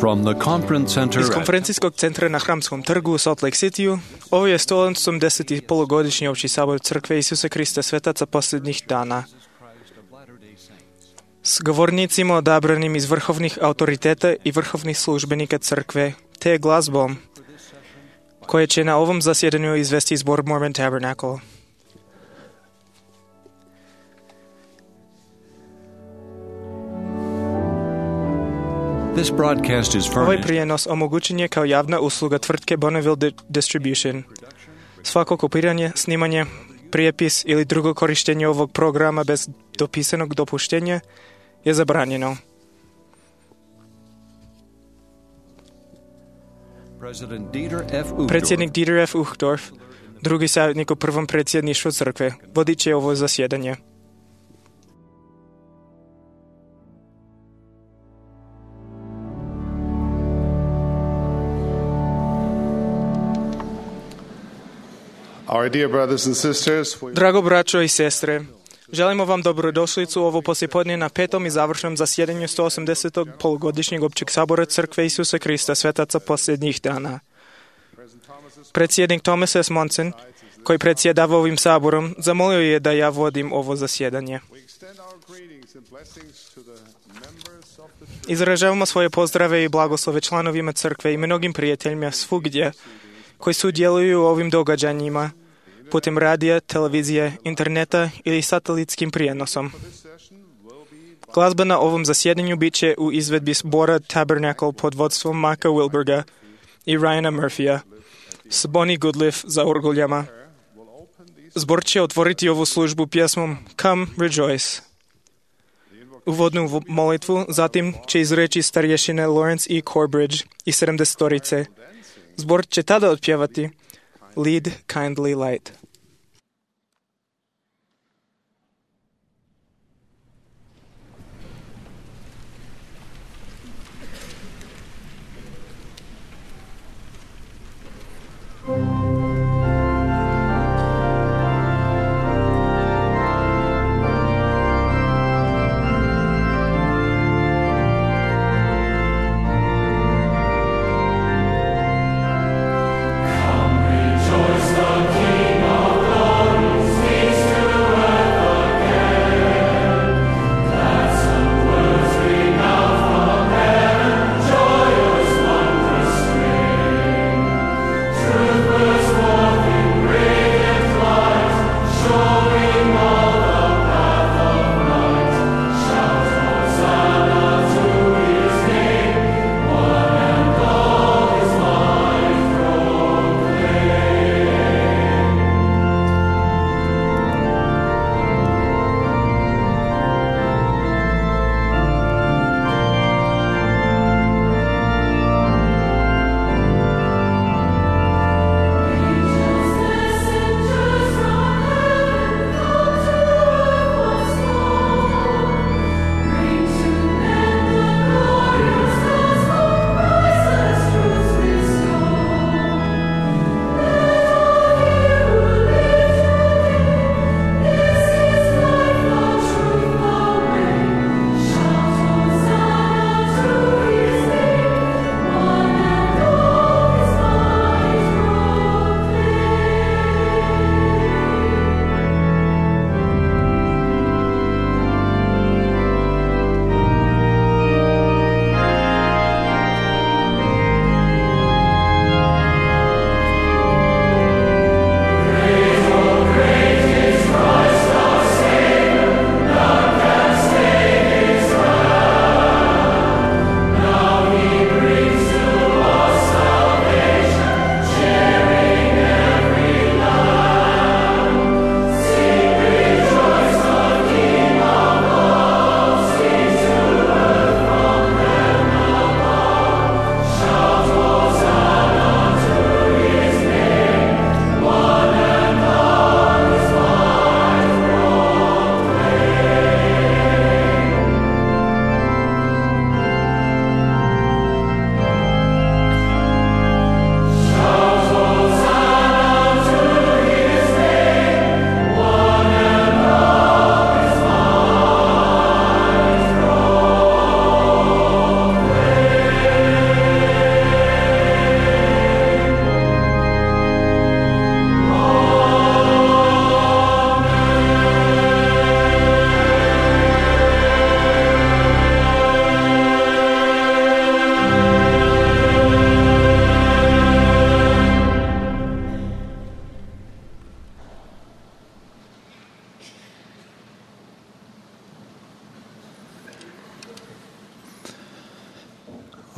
From the conference center Iz konferencijskog centra na Hramskom trgu u Salt Lake Cityu, ovo je 180. polugodišnji opći sabor Crkve Isusa Krista Svetaca posljednjih dana. S govornicima odabranim iz vrhovnih autoriteta i vrhovnih službenika Crkve, te glazbom, koje će na ovom zasjedanju izvesti zbor Mormon Tabernacle. This broadcast is Ovaj furnished prijenos omogućen je kao javna usluga tvrtke Bonneville Distribution. Svako kopiranje, snimanje, prijepis ili drugo korištenje ovog programa bez dopisanog dopuštenja je zabranjeno. Predsjednik Dieter F. Uchtdorf, drugi savjetnik u prvom predsjedništvu crkve, vodit će ovo zasjedanje. Our dear brothers and sisters, Drago braćo i sestre, želimo vam dobrodošlicu u ovo poslijepodne na petom i završnom zasjedanju 180. polugodišnjeg općeg sabora Crkve Isusa Krista Svetaca posljednjih dana. Predsjednik Thomas S. Monson, koji predsjedava ovim saborom, zamolio je da ja vodim ovo zasjedanje. Izražavamo svoje pozdrave i blagoslove članovima crkve i mnogim prijateljima svugdje koji sudjeluju u ovim događanjima putem radija, televizije, interneta ili satelitskim prijenosom. Glazba na ovom zasjedanju bit će u izvedbi zbora Tabernacle pod vodstvom Maka Wilberga i Ryana Murphya s Bonnie Goodliff za orguljama. Zbor će otvoriti ovu službu pjesmom Come Rejoice. Uvodnu molitvu zatim će izreći starješine Lawrence E. Corbridge i 70-torice. Zbor će tada otpjevati Lead Kindly Light. Rejoice, the King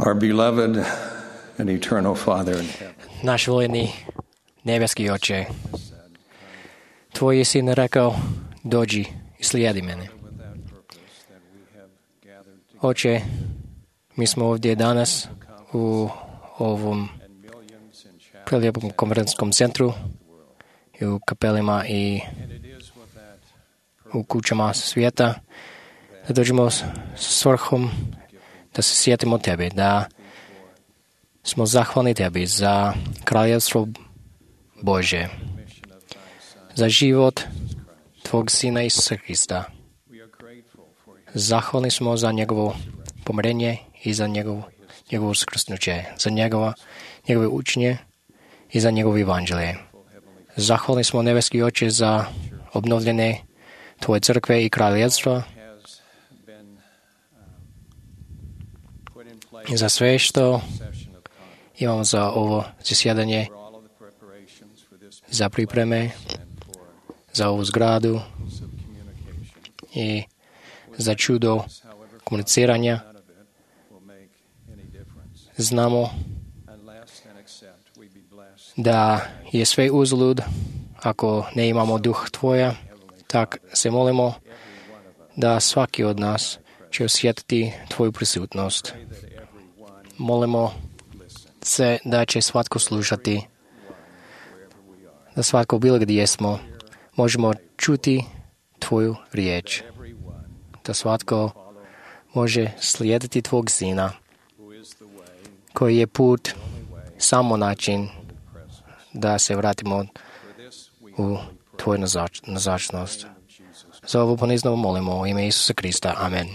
Our beloved and eternal Father in heaven. Náš volený nebeský Oče, Tvoj syn rekao, dođi i slijedi mene. Oče, mi smo ovdje danas u ovom prelijepom konferencijskom centru i u kapelima i u kućama svijeta, da dođemo s svrhom da se sjetimo Tebe, da smo zahvalni Tebi za kraljevstvo Bože, za život Tvog Sina Isusa Hrista. Zahvalni smo za njegovo pomrenje i za njegovo uskrsnuće, za njegove učenje i za njegovo evanđelje. Zahvalni smo, nebeski Oče, za obnovljene Tvoje crkve i kraljevstva, i za sve što imamo za ovo zasjedanje, za pripreme, za ovu zgradu i za čudo komuniciranja. Znamo da je sve uzalud ako ne imamo duh Tvoja, tak se molimo da svaki od nas će osjetiti Tvoju prisutnost. Molimo se da će svatko slušati, da svatko bilo gdje smo možemo čuti Tvoju riječ, da svatko može slijediti Tvog Sina, koji je put, samo način da se vratimo u Tvoju nazočnost. Za ovo ponizno molimo u ime Isusa Krista. Amen.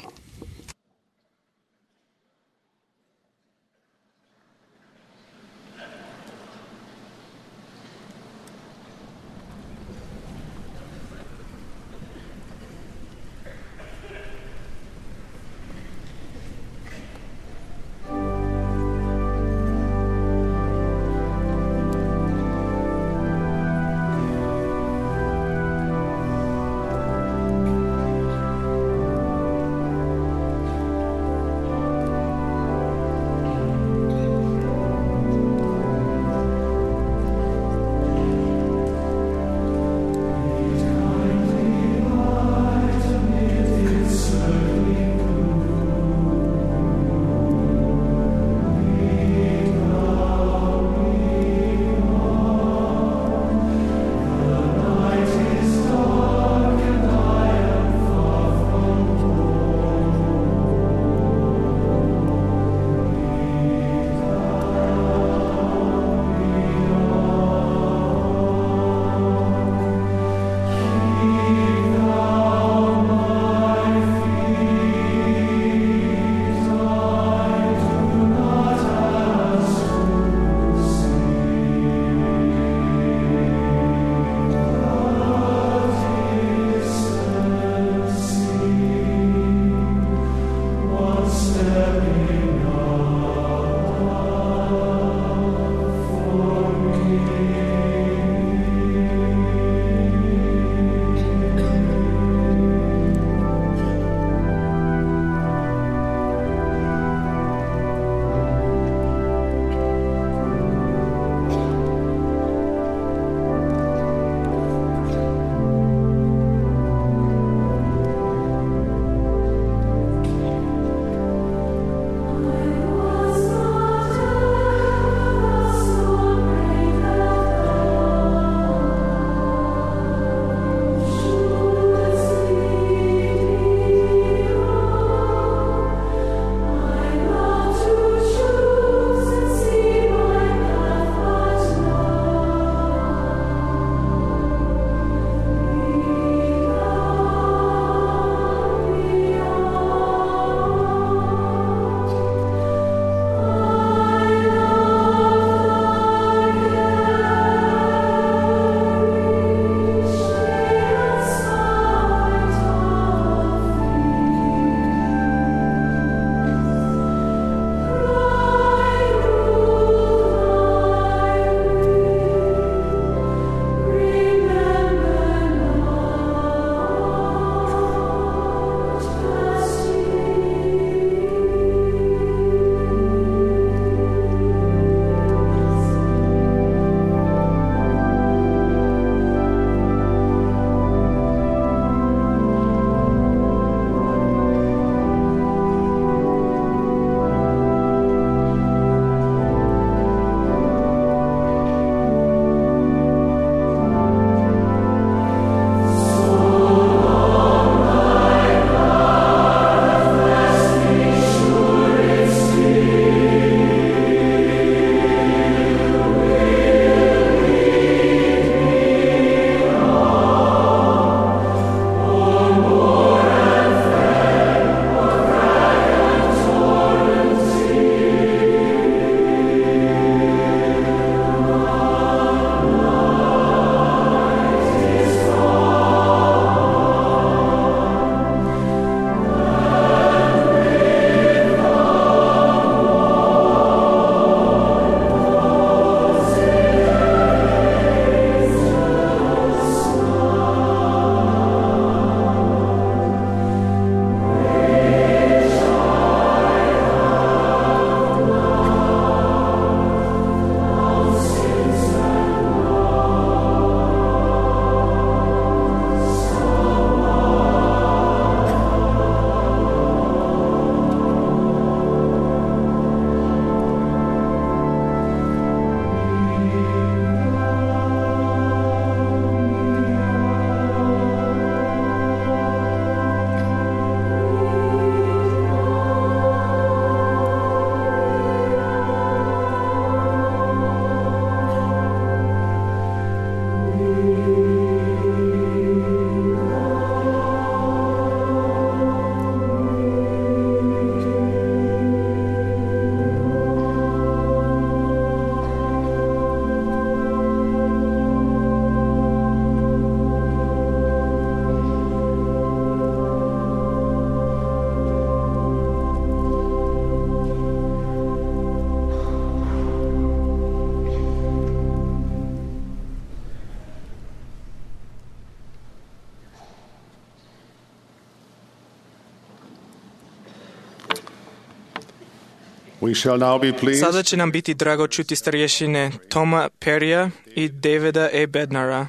We shall now be pleased Sada će nam biti drago čuti starješine Toma Perija i Davida E. Bednara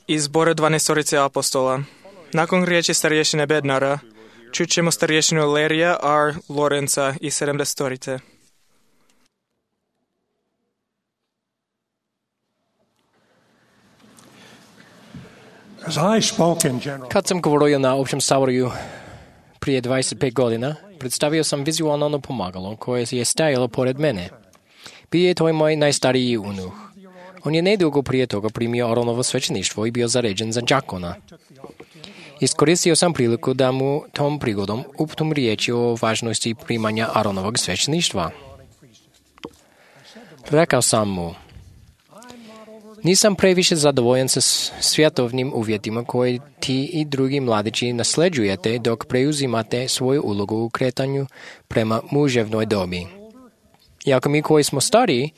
iz zbora 12 apostola. Nakon riječi starješine Bednara, čućemo starješinu Larrya R. Lorenza iz 70. Kad sam govorio na općem saboru prije 25 godina, predstavio sam vizualno pomagalo koje je stajalo pored mene. Bio je to moj najstariji unuh. On je nedugo prije toga primio Aronovo svećeništvo i bio zaređen za đakona. Iskoristio sam priliku da mu tom prigodom uputim riječi o važnosti primanja Aronovog svećeništva. Rekao sam mu, nisam previše zadovoljan sa svjetovnim uvjetima koje ti i drugi mladići nasljeđujete dok preuzimate svoju ulogu u kretanju prema muževnoj dobi. Iako mi koji smo stariji,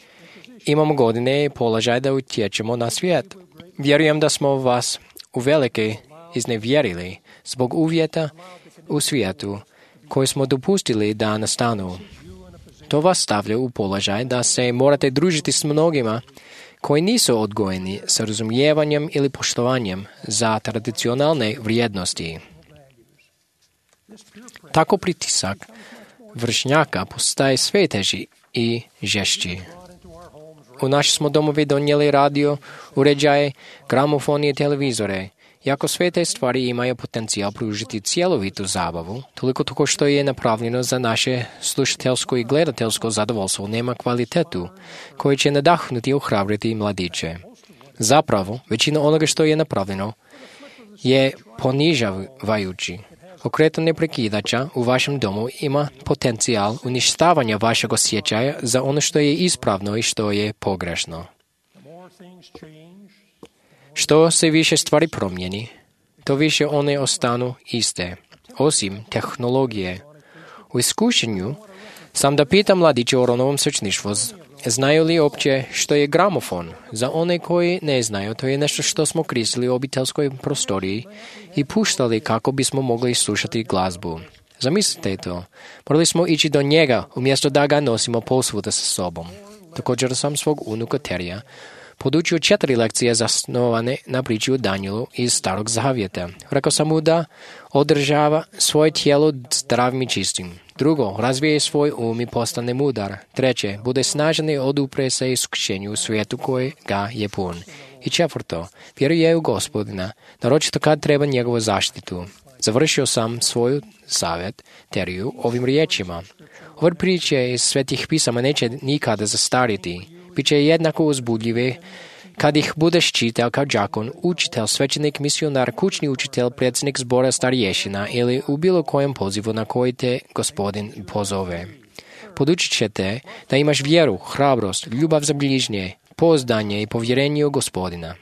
imamo godine i položaj da utječemo na svijet. Vjerujem da smo vas uvelike iznevjerili zbog uvjeta u svijetu koji smo dopustili da nastanu. To vas stavlja u položaj da se morate družiti s mnogima koji nisu odgojeni sa razumijevanjem ili poštovanjem za tradicionalne vrijednosti. Tako pritisak vršnjaka postaje sve teži i žešći. U naše smo domovi donijeli radio, uređaje, gramofone i televizore. Iako sve te stvari imaju potencijal pružiti cjelovitu zabavu, toliko toko što je napravljeno za naše slušateljsko i gledateljsko zadovoljstvo nema kvalitetu koji će nadahnuti i ohrabriti mladiće. Zapravo, većina onoga što je napravljeno je ponižavajući. Okretanje prekidača u vašem domu ima potencijal uništavanja vašeg osjećaja za ono što je ispravno i što je pogrešno. Što se više stvari promijeni, to više one ostanu iste, osim tehnologije. U iskušenju sam da pitam mladiće o Aronovom svećeništvu, znaju li opće što je gramofon? Za one koji ne znaju, to je nešto što smo koristili u obiteljskoj prostoriji i puštali kako bismo mogli slušati glazbu. Zamislite to, morali smo ići do njega umjesto da ga nosimo posvuda sa sobom. Također sam svog unuka Terija podučio 4 lekcije zasnovane na priči o Danielu iz Starog zavjeta. Rekao sam mu da održava svoje tijelo zdravim i čistim. 2. razvije svoj i postane mudar. 3. bude snažan i odupre se iskušenju u svijetu koji ga je pun. I 4. vjeruje u Gospodina, naročito kad treba njegovu zaštitu. Završio sam svoj savjet Teriju ovim riječima. Ove priče iz svetih pisama neće nikada zastariti. Biće jednako uzbudljive kad ih budeš čitao kao đakon, učitelj, svećenik, misionar, kućni učitelj, predsjednik zbora starješina ili u bilo kojem pozivu na koji te Gospodin pozove. Podučit će te da imaš vjeru, hrabrost, ljubav za bližnje, pouzdanje i povjerenje u Gospodina.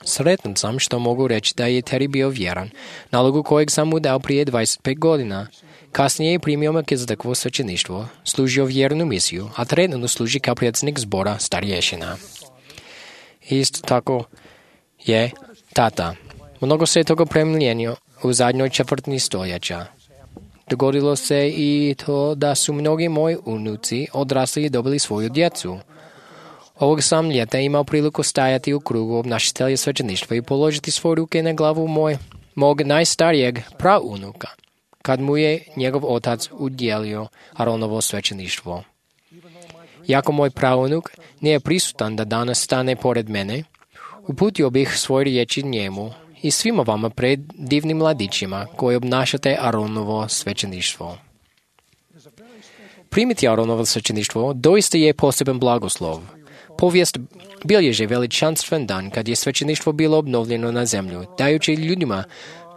Sretan sam što mogu reći da je Terry bio vjeran, nalogu kojeg sam mu dao prije 25 godina. Kasnije je primio Melkizedekvo svećeništvo, služio vjernu misiju, a trenutno služi kao predsjednik zbora starješina. Isto tako je tata. Mnogo se je toga promijenilo u zadnjoj četvrtini stoljeća. Dogodilo se i to da su mnogi moji unuci odrasli i dobili svoju djecu. Ovog sam ljeta imao priliku stajati u krugu obnašatelja svećeništva i položiti svoje ruke na glavu mog najstarijeg praunuka, kad mu je njegov otac udjelio Aronovo svećeništvo. Iako moj praunuk nije prisutan da danas stane pored mene, uputio bih svoje riječi njemu i svima vama pred divnim mladićima koji obnašate Aronovo svećeništvo. Primiti Aronovo svećeništvo doista je poseban blagoslov. Povijest bilježi veličanstven dan kad je svećeništvo bilo obnovljeno na zemlju, dajući ljudima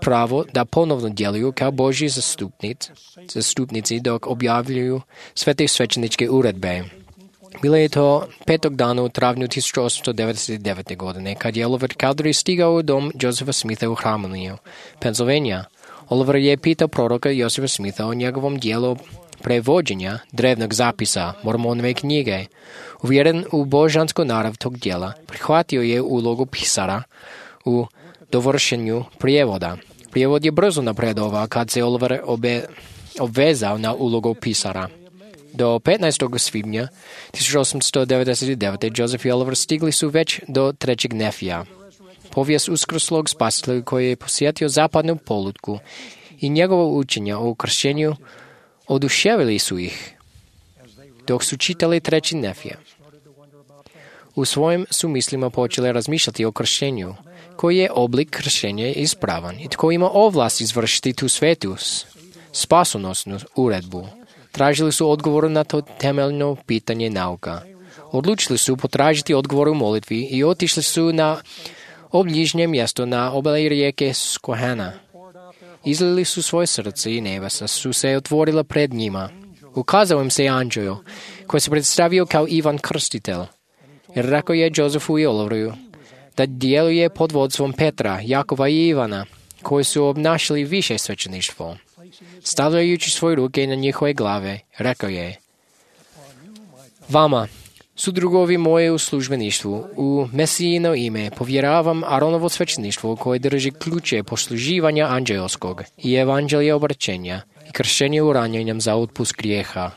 pravo da ponovno djeluju kao Božji zastupnici dok objavljuju sve te svećeničke uredbe. Bilo je to 5. dana u travnju 1899. godine, kad je Oliver Cowdery stigao u dom Josepha Smitha u Harmoniju, Pennsylvania. Oliver je pitao proroka Josepha Smitha o njegovom dijelu prevođenja drevnog zapisa Mormonove knjige. Uvjeren u božansku narav tog dijela, prihvatio je ulogu pisara u dovršenju prijevoda. Prijevod je brzo napredovao kad se Oliver obvezao na ulogu pisara. До 15 svibnja 1899 Joseph i Oliver stigli su već do trećeg nefija. Povijest uskrsloga spasitelja koji je posjetio zapadnu polutku i njegovo učenje o kršćenju oduševili su ih, dok su čitali treći nefija. U svojim su mislima počeli razmišljati o kršćenju, koji je oblik kršćenja ispravan i tko ima ovlast izvršiti tu svetu spasonosnu uredbu. Tražili su odgovor na to temeljno pitanje nauka. Odlučili su potražiti odgovor u molitvi i otišli su na obližnje mjesto na obali rijeke Skohana. Izlili su svoje srce i nebesa su se otvorila pred njima. Ukazao im se anđeo, koji se predstavio kao Ivan Krstitelj. Jer rekao je Josefu i Oliveru da djeluje pod vodstvom Petra, Jakova i Ivana, koji su obnašali više svećeništvo. Stavljajući svoje ruke na njihove glave, rekao je: Vama, sudrugovi moje u službeništvu, u Mesijino ime povjeravam Aronovo svećeništvo koje drži ključe posluživanja anđelskog i evanđelja obraćenja i kršćenja uranjenjem za otpust grijeha.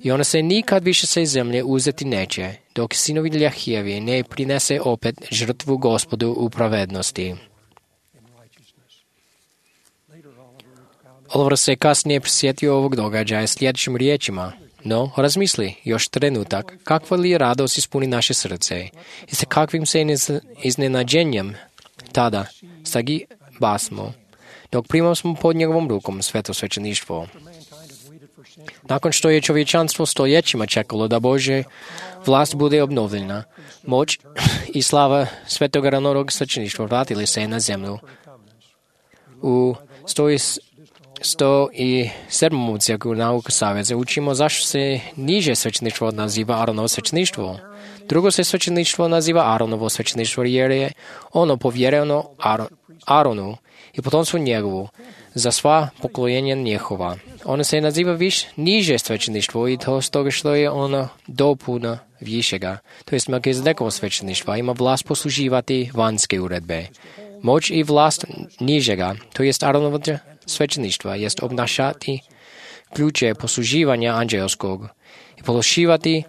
I ona se nikad više sa zemlje uzeti neće, dok sinovi Ljahijevi ne prinese opet žrtvu Gospodu u pravednosti. Oliver se kasnije prisjetio ovog događaja sljedećim riječima: No, razmisli još trenutak, kakva li radost ispuni naše srce i sa kakvim se iznenađenjem tada stagi basmo, dok primamo smo pod njegovom rukom sveto svećeništvo. Nakon što je čovječanstvo stoljećima čekalo da Božja vlast bude obnovljena, moć i slava svetog Aronovog svećeništva vratili se na zemlju. U 107. cijelku nauka saveza učimo zašto se niže svećeništvo naziva Aronovo svećeništvo. Drugo se svećeništvo naziva Aronovo svećeništvo jer je ono povjereno Aronu i potomstvu njegovu za sva pokoljenja njihova. Ono se naziva niže svećeništvo i to stoga što je ono dopuna višega, to jest Melkizedekovo svećeništva, ima vlast posluživati vanjske uredbe. Moć i vlast nižega, to jest Aronovo svećeništva, jest obnašati ključe posluživanja anđelskog i pološivati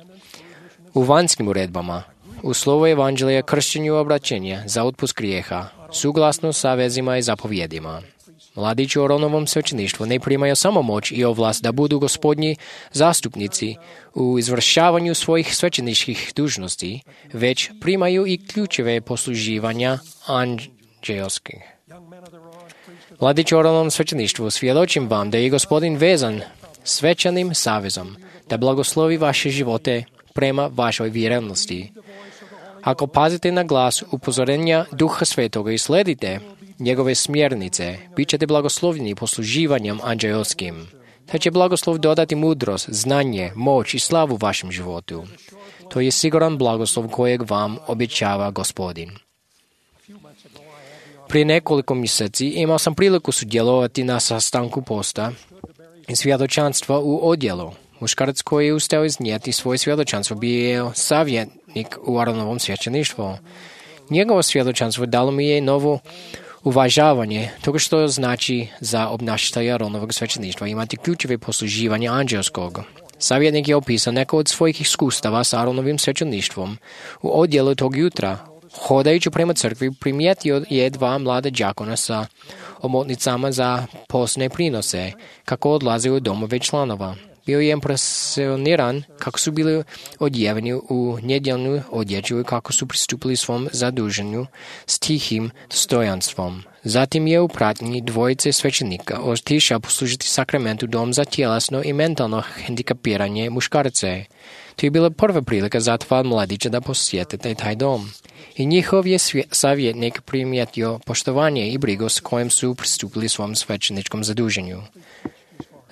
u vanjskim uredbama, u slovo evanđelja, kršćenju obraćenja za otpust grijeha, suglasno sa vezima i zapovjedima. Mladići u Aronovom svećeništvu ne primaju samo moć i ovlast da budu gospodnji zastupnici u izvršavanju svojih svećeničkih dužnosti, već primaju i ključeve posluživanja anđelskih. Mladići u Aronovom svećeništvu, svjedočim vam da je Gospodin vezan svečanim savezom, da blagoslovi vaše živote prema vašoj vjernosti. Ako pazite na glas upozorenja Duha Svetoga i sledite njegove smjernice, bit ćete blagoslovljeni posluživanjem anđelskim. Te će blagoslov dodati mudrost, znanje, moć i slavu vašem životu. To je siguran blagoslov kojeg vam obećava Gospodin. Prije nekoliko mjeseci imao sam priliku sudjelovati na sastanku posta i svjedočanstva u odjelu. Muškarac koji je ustao iznijeti svoje svjedočanstvo bio savjetnik u Aronovom svećeništvu. Njegovo svjedočanstvo dalo mi je novo uvažavanje toga što znači za obnašatelja Aronovog svećeništva imati ključeve posluživanja anđelskog. Savjetnik je opisao neko od svojih iskustava s Aronovim svećeništvom. U odjelu tog jutra, hodajući prema crkvi, primijetio je dva mlada đakona sa omotnicama za postne prinose, kako odlaze u domove članova. Bio je impresioniran kako su bili odjeveni u nedjeljnu odjeću i kako su pristupili svom zaduženju s tihim dostojanstvom. Zatim je u pratnji dvojice svećenika otišao poslužiti sakramentu dom za tjelesno i mentalno hendikapiranje muškarce. To je bila prva prilika za dva mladića da posjetite taj dom. I njihov je savjetnik primijetio poštovanje i brigu s kojim su pristupili svom svećeničkom zaduženju.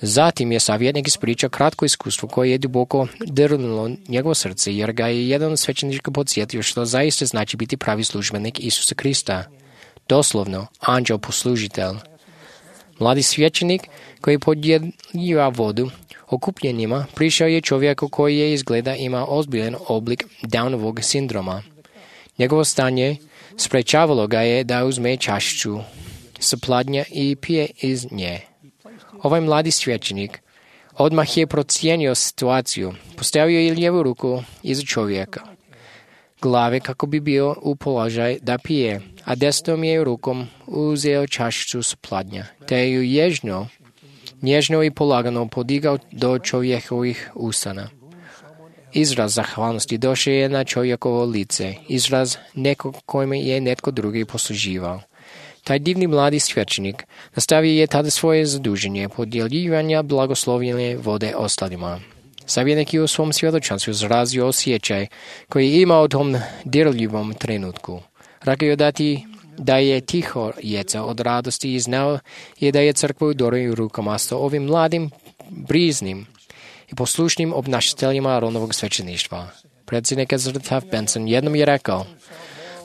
Zatim je savjetnik ispričao kratko iskustvo koje je duboko dirnulo njegovo srce, jer ga je jedan svećenik podsjetio što zaista znači biti pravi službenik Isusa Krista. Doslovno, anđel poslužitelj. Mladi svećenik koji podjeljuje vodu okupljenima prišao je čovjeku koji je izgleda ima ozbiljan oblik Downovog sindroma. Njegovo stanje sprečavalo ga je da uzme čašicu s pladnja i pije iz nje. Ovaj mladi svećenik Odmah je procijenio situaciju. Postavio je lijevu ruku iza čovjeka glave kako bi bio u položaj da pije, a desnom je rukom uzeo čašicu s pladnja, te ju nježno i polagano podigao do čovjekovih usana. Izraz zahvalnosti došao je na čovjekovo lice, izraz nekog kojima je netko drugi posluživao. Taj divni mladi svećenik nastavio je tada svoje zaduženje podjeljivanja blagoslovljene vode ostalima. Savjetnik je u svom svjedočanstvu izrazio osjećaj koji je imao u tom dirljivom trenutku. Rekao je da je tiho jeca od radosti i znao je da je crkva u dobrim rukama sa ovim mladim, briznim i poslušnim obnašateljima Aronovog svećeništva. Predsjednik Ezra Benson jednom je rekao: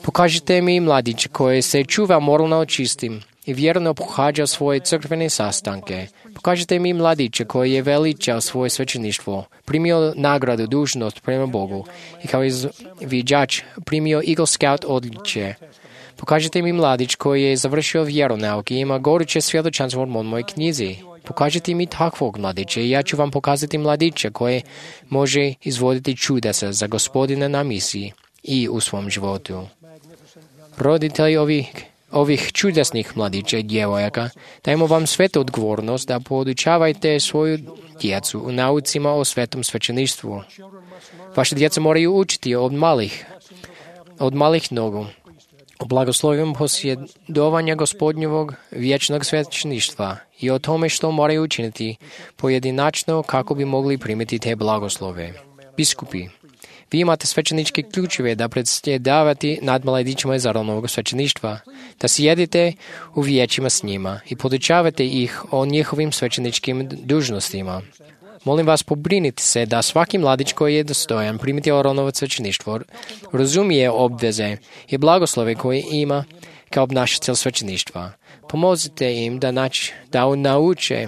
pokažite mi mladića koji se čuva moralno čistim i vjerno pohađa svoje crkvene sastanke. Pokažite mi mladića koji je veličao svoje svećeništvo, primio nagradu dužnost prema Bogu i kao izviđač primio Eagle Scout odličje. Pokažite mi mladić koji je završio vjeronauk i ima goruće svjedočanstvo u mojoj knjizi. Pokažite mi takvog mladića i ja ću vam pokazati mladića koji može izvoditi čudesa za Gospodina na misiji i u svom životu. Roditelji ovih čudesnih mladića i djevojaka, dajmo vam svetu odgovornost da podučavajte svoju djecu u naucima o svetom svećeništvu. Vaše djeca moraju učiti od malih nogu o blagoslovima posjedovanja Gospodnjevog vječnog svećeništva i o tome što moraju učiniti pojedinačno kako bi mogli primiti te blagoslove. Biskupi, vi imate svećeničke ključeve da predsjedavati nad mladićima iz Aronovog svećeništva, da sjedite u vijećima s njima i podučavate ih o njihovim svećeničkim dužnostima. Molim vas, pobrinite se da svaki mladić koji je dostojan primiti Aronovo svećeništvo razumije obveze i blagoslove koje ima kao obnašatelj svećeništva. Pomozite im da nauče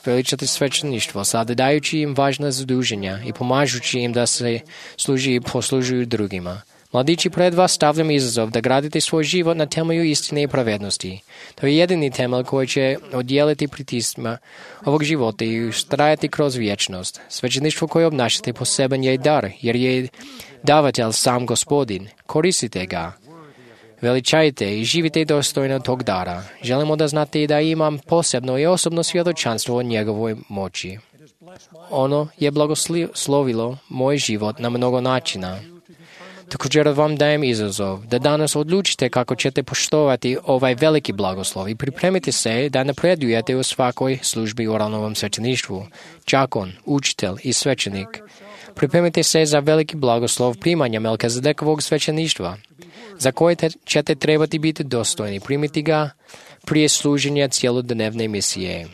veličati svećeništvo, sada dajući im važna zaduženja i pomažući im da se služi i poslužuju drugima. Mladići, pred vas stavljam izazov da gradite svoj život na temelju istine i pravednosti. To je jedini temelj koji će odjeliti pritiscima ovog života i ustrajati kroz vječnost. Svećeništvo koje obnašate poseban je dar, jer je davatelj sam Gospodin. Koristite ga. Veličajte i živite dostojno tog dara. Želimo da znate da imam posebno i osobno svjedočanstvo o njegovoj moći. Ono je blagoslovilo moj život na mnogo načina. Također vam dajem izazov da danas odlučite kako ćete poštovati ovaj veliki blagoslov i pripremite se da napredujete u svakoj službi u Aronovom svećeništvu. Đakon, učitelj i svećenik. Pripremite se za veliki blagoslov primanja Melkizedekovog svećeništva, za koje ćete trebati biti dostojni primiti ga prije služenja cjelodnevne misije.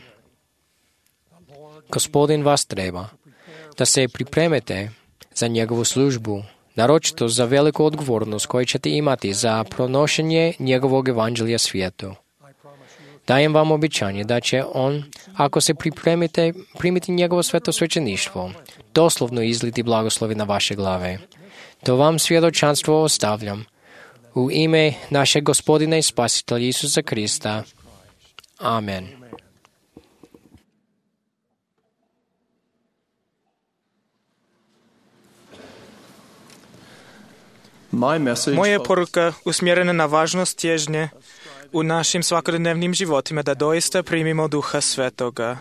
Gospodin vas treba da se pripremite za njegovu službu, naročito za veliku odgovornost koju ćete imati za pronošenje njegovog evanđelja svijetu. Dajem vam obećanje da će on, ako se pripremite, primiti njegovo sveto svećeništvo, doslovno izliti blagoslovi na vaše glave. To vam svjedočanstvo ostavljam u ime našeg Gospodina i Spasitelja Isusa Krista. Amen. Moja je poruka usmjerena na važnost težnje u našim svakodnevnim životima da doista primimo Duha Svetoga.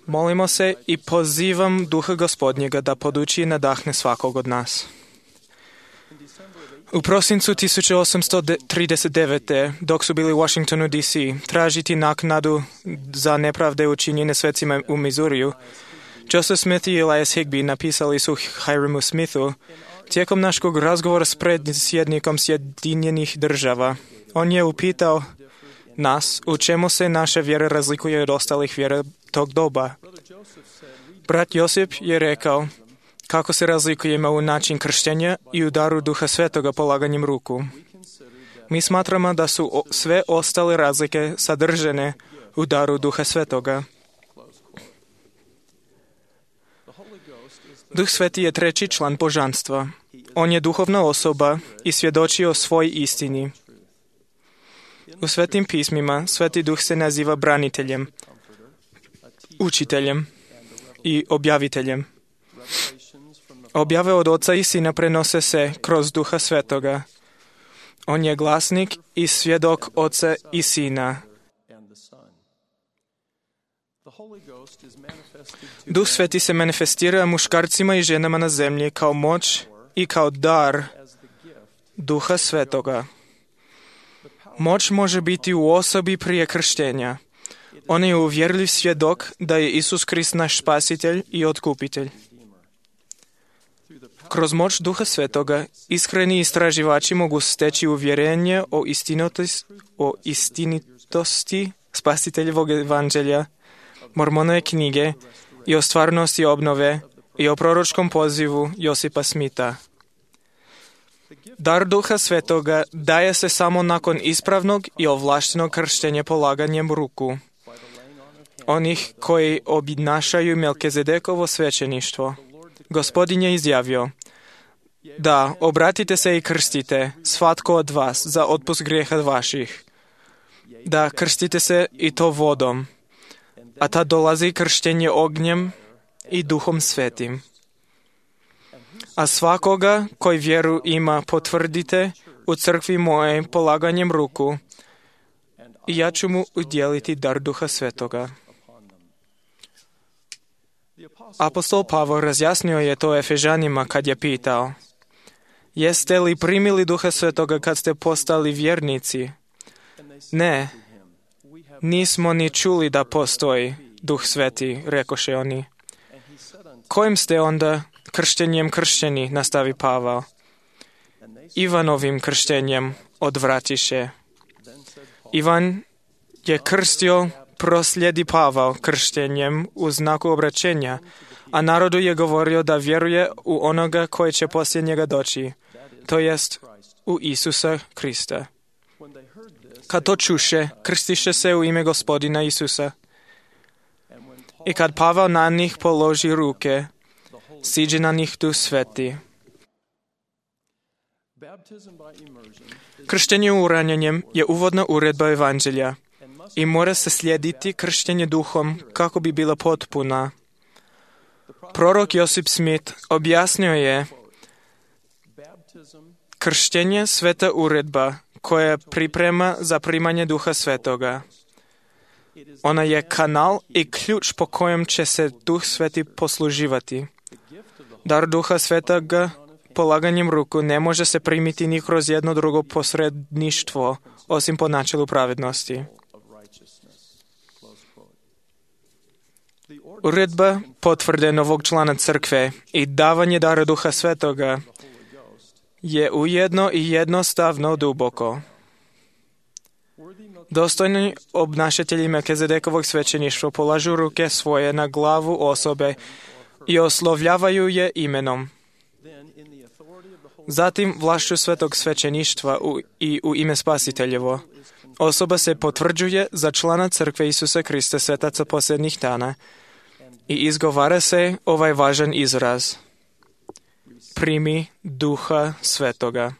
Molimo se i pozivam Duha Gospodnjega da poduči i nadahne svakog od nas. U prosincu 1839. dok su bili u Washingtonu, D.C., tražiti naknadu za nepravde učinjene svecima u Mizuriju, Joseph Smith i Elias Higbee napisali su Hiramu Smithu tijekom našeg razgovora s predsjednikom Sjedinjenih Država. On je upitao nas u čemu se naša vjera razlikuje od ostalih vjera tog doba. Brat Josip je rekao kako se razlikujemo u način krštenja i u daru Duha Svetoga polaganjem ruku. Mi smatramo da su sve ostale razlike sadržane u daru Duha Svetoga. Duh Sveti je treći član božanstva. On je duhovna osoba i svjedoči o svoj istini. U svetim pismima Sveti Duh se naziva braniteljem. učiteljem i objaviteljem. Objave od Oca i Sina prenose se kroz Duha Svetoga. On je glasnik i svjedok Oca i Sina. Duh Sveti se manifestira muškarcima i ženama na zemlji kao moć i kao dar Duha Svetoga. Moć može biti u osobi prije krštenja. On je uvjerljiv svjedok da je Isus Krist naš spasitelj i otkupitelj. Kroz moć Duha Svetoga iskreni istraživači mogu steći uvjerenje o istinitosti spasiteljevog evanđelja, Mormonove knjige i o stvarnosti obnove i o proročkom pozivu Josipa Smita. Dar Duha Svetoga daje se samo nakon ispravnog i ovlaštenog krštenja polaganjem ruku onih koji obnašaju Melkizedekovo svećeništvo. Gospodin je izjavio: da, obratite se i krstite, svatko od vas, za otpust grijeha vaših. Da, krstite se i to vodom, a tad dolazi krštenje ognjem i Duhom Svetim. A svakoga koji vjeru ima potvrdite u crkvi moje polaganjem ruku i ja ću mu udjeliti dar Duha Svetoga. Apostol Pavao razjasnio je to Efežanima kad je pitao: jeste li primili Duha Svetoga kad ste postali vjernici? Ne, nismo ni čuli da postoji Duh Sveti, rekoše oni. Kojim ste onda krštenjem kršćeni, nastavi Pavao? Ivanovim krštenjem, odvratiše. Ivan je krstio, proslijedi Pavao krštenjem u znaku obraćenja, a narodu je govorio da vjeruje u onoga koji će poslije njega doći, to jest u Isusa Krista. Kad to čuše, krstiše se u ime Gospodina Isusa. I kad Pavao na njih položi ruke, siđe na njih Duh Sveti. Krštenje uranjenjem je uvodna uredba evanđelja i mora se slijediti krštenje duhom kako bi bila potpuna. Prorok Josip Smith objasnio je: krštenje sveta uredba koja priprema za primanje Duha Svetoga. Ona je kanal i ključ po kojem će se Duh Sveti posluživati. Dar Duha Svetoga polaganjem ruku ne može se primiti ni kroz jedno drugo posredništvo, osim po načelu pravednosti. Uredba potvrde novog člana crkve i davanje dara Duha Svetoga je ujedno i jednostavno duboko. Dostojni obnašatelji Melkizedekovog svećeništva polažu ruke svoje na glavu osobe i oslovljavaju je imenom. Zatim vlašću svetog svećeništva i u ime Spasiteljevo osoba se potvrđuje za člana crkve Isusa Krista, svetaca posljednjih dana, i izgovara se ovaj važan izraz: primi Duha Svetoga.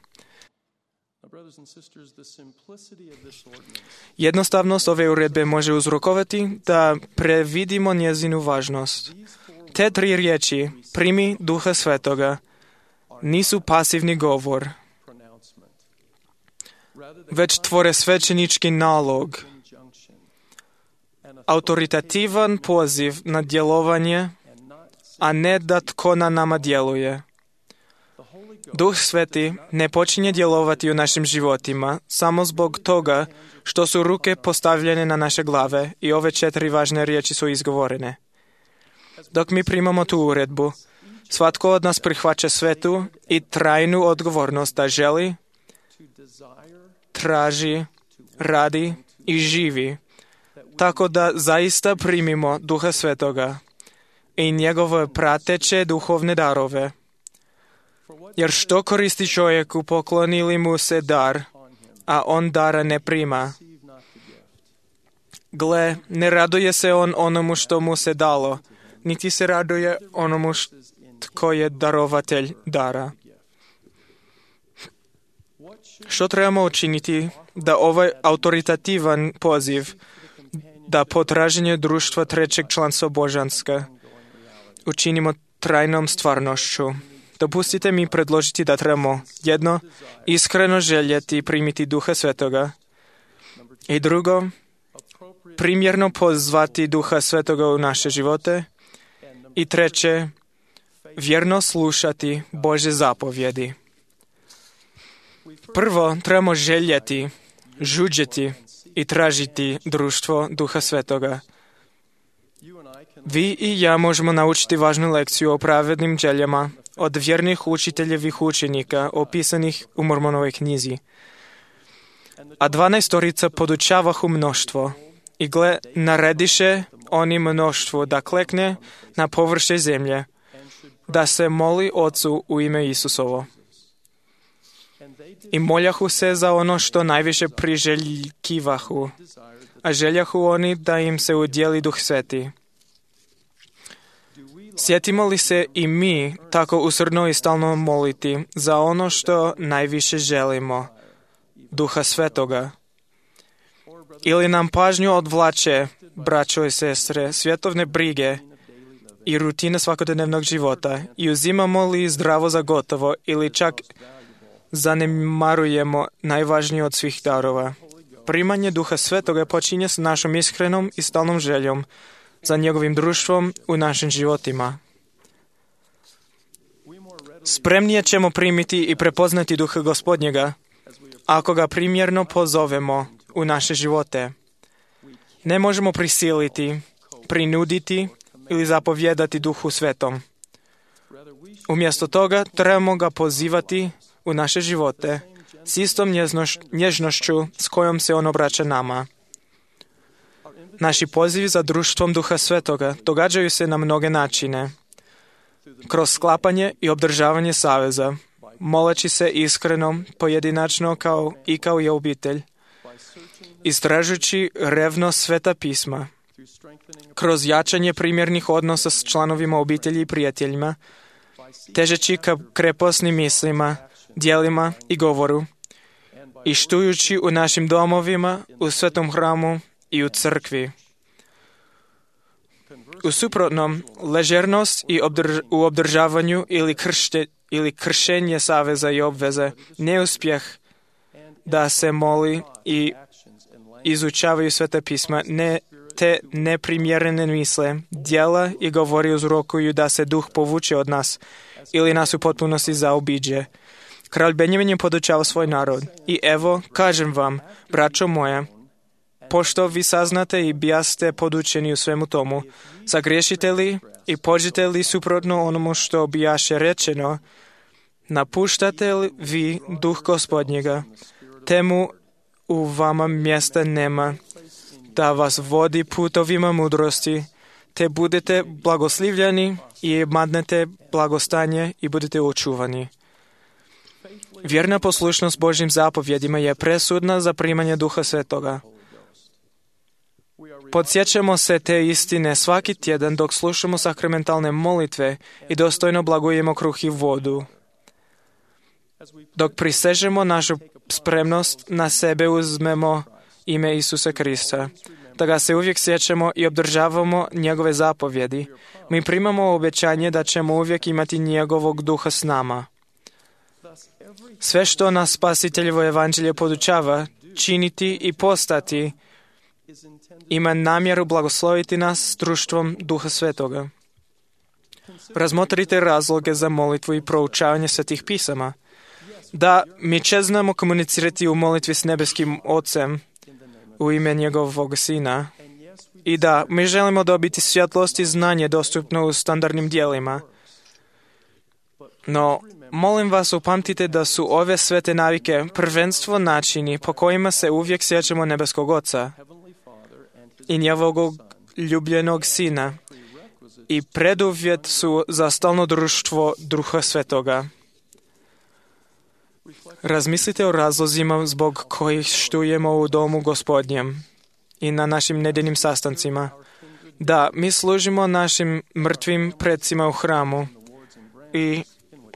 Jednostavnost ove uredbe može uzrokovati da previdimo njezinu važnost. Te tri riječi, primi Duha Svetoga, nisu pasivni govor, već tvore svećenički nalog, autoritativan poziv na djelovanje, a ne da tko na nama djeluje. Duh Sveti ne počinje djelovati u našim životima samo zbog toga što su ruke postavljene na naše glave i ove 4 važne riječi su izgovorene. Dok mi primamo tu uredbu, svatko od nas prihvaća svetu i trajnu odgovornost da želi, traži, radi i živi, tako da zaista primimo Duha Svetoga i njegove prateće duhovne darove. Jer što koristi čovjeku pokloni li mu se dar, a on dara ne prima? Gle, ne raduje se on onomu što mu se dalo, niti se raduje onomu tko je darovatelj dara. Što trebamo učiniti da ovaj autoritativan poziv da potraženje društva trećeg članstva božanska učinimo trajnom stvarnošću. Dopustite mi predložiti da trebamo jedno, iskreno željeti primiti Duha Svetoga i drugo, primjerno pozvati Duha Svetoga u naše živote i treće, vjerno slušati Božje zapovjedi. Prvo, trebamo željeti, žuđeti i tražiti društvo Duha Svetoga. Vi i ja možemo naučiti važnu lekciju o pravednim željama od vjernih učiteljevih učenika opisanih u Mormonovoj knjizi. A 12 podučavahu mnoštvo i gle, narediše oni mnoštvu da klekne na površje zemlje, da se moli Ocu u ime Isusovo. I moljahu se za ono što najviše priželjkivahu, a željahu oni da im se udjeli Duh Sveti. Sjetimo li se i mi tako usrdno i stalno moliti za ono što najviše želimo, Duha Svetoga? Ili nam pažnju odvlače, braćo i sestre, svjetovne brige i rutine svakodnevnog života i uzimamo li zdravo za gotovo ili čak zanemarujemo najvažnije od svih darova? Primanje Duha Svetoga počinje s našom iskrenom i stalnom željom za njegovim društvom u našim životima. Spremnije ćemo primiti i prepoznati Duha Gospodnjega ako ga primjerno pozovemo u naše živote. Ne možemo prisiliti, prinuditi ili zapovjedati Duhu Svetom. Umjesto toga trebamo ga pozivati u naše živote s istom nježnošću s kojom se on obraća nama. Naši pozivi za društvom Duha Svetoga događaju se na mnoge načine. Kroz sklapanje i obdržavanje saveza, moleći se iskreno, pojedinačno kao i obitelj, istražujući revno Sveta pisma, kroz jačanje primjernih odnosa s članovima obitelji i prijateljima, težeći ka krepostnim mislima, djelima i govoru, i štujući u našim domovima, u svetom hramu i u crkvi. U suprotnom, ležernost u obdržavanju ili kršenje saveza i obveze, neuspjeh da se moli i izučavaju Sveta pisma, te neprimjerene misle, djela i govori uzrokuju da se duh povuče od nas ili nas u potpunosti zaobiđe. Kralj Benjamin je podučava svoj narod. I evo, kažem vam, braćo moja, pošto vi saznate i bijaste podučeni u svemu tomu, zagriješite li i pođete li suprotno onomu što bijaše rečeno, napuštate li vi duh Gospodnjega, temu u vama mjesta nema, da vas vodi putovima mudrosti, te budete blagoslivljani i madnete blagostanje i budete očuvani. Vjerna poslušnost Božjim zapovjedima je presudna za primanje Duha Svetoga. Podsjećamo se te istine svaki tjedan dok slušamo sakramentalne molitve i dostojno blagujemo kruh i vodu. Dok prisežemo našu spremnost, na sebe uzmemo ime Isusa Krista, da ga se uvijek sjećamo i obdržavamo njegove zapovjedi. Mi primamo obećanje da ćemo uvijek imati njegovog duha s nama. Sve što nas Spasiteljevo evanđelje podučava, činiti i postati, ima namjeru blagosloviti nas s društvom Duha Svetoga. Razmotrite razloge za molitvu i proučavanje Svetih pisama. Da, mi će znamo komunicirati u molitvi s nebeskim Ocem u ime njegovog Sina. I da, mi želimo dobiti svjetlost i znanje dostupno u standardnim dijelima. No, molim vas, upamtite da su ove svete navike prvenstvo načini po kojima se uvijek sjećamo nebeskog Oca i njegovog ljubljenog Sina i preduvjet su za stalno društvo Duha Svetoga. Razmislite o razlozima zbog kojih štujemo u domu Gospodnjem i na našim nedeljnim sastancima. Da, mi služimo našim mrtvim predsima u hramu i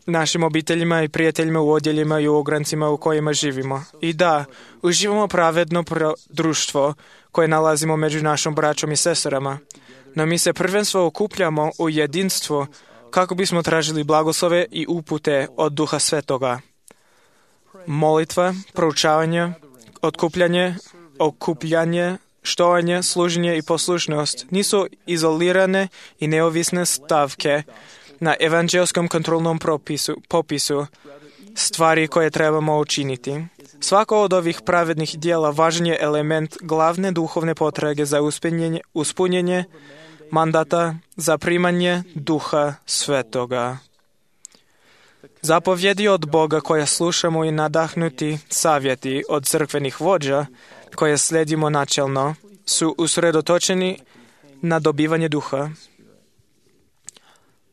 našim obiteljima i prijateljima u odjeljima i u ograncima u kojima živimo. I da, uživamo pravedno društvo koje nalazimo među našom braćom i sestrama. No mi se prvenstveno okupljamo u jedinstvu kako bismo tražili blagoslove i upute od Duha Svetoga. Molitva, proučavanje, okupljanje, štovanje, služenje i poslušnost nisu izolirane i neovisne stavke na evanđelskom kontrolnom popisu stvari koje trebamo učiniti. Svako od ovih pravednih dijela važan je element glavne duhovne potrage za uspunjenje mandata za primanje Duha Svetoga. Zapovjedi od Boga koje slušamo i nadahnuti savjeti od crkvenih vođa koje slijedimo načelno su usredotočeni na dobivanje duha.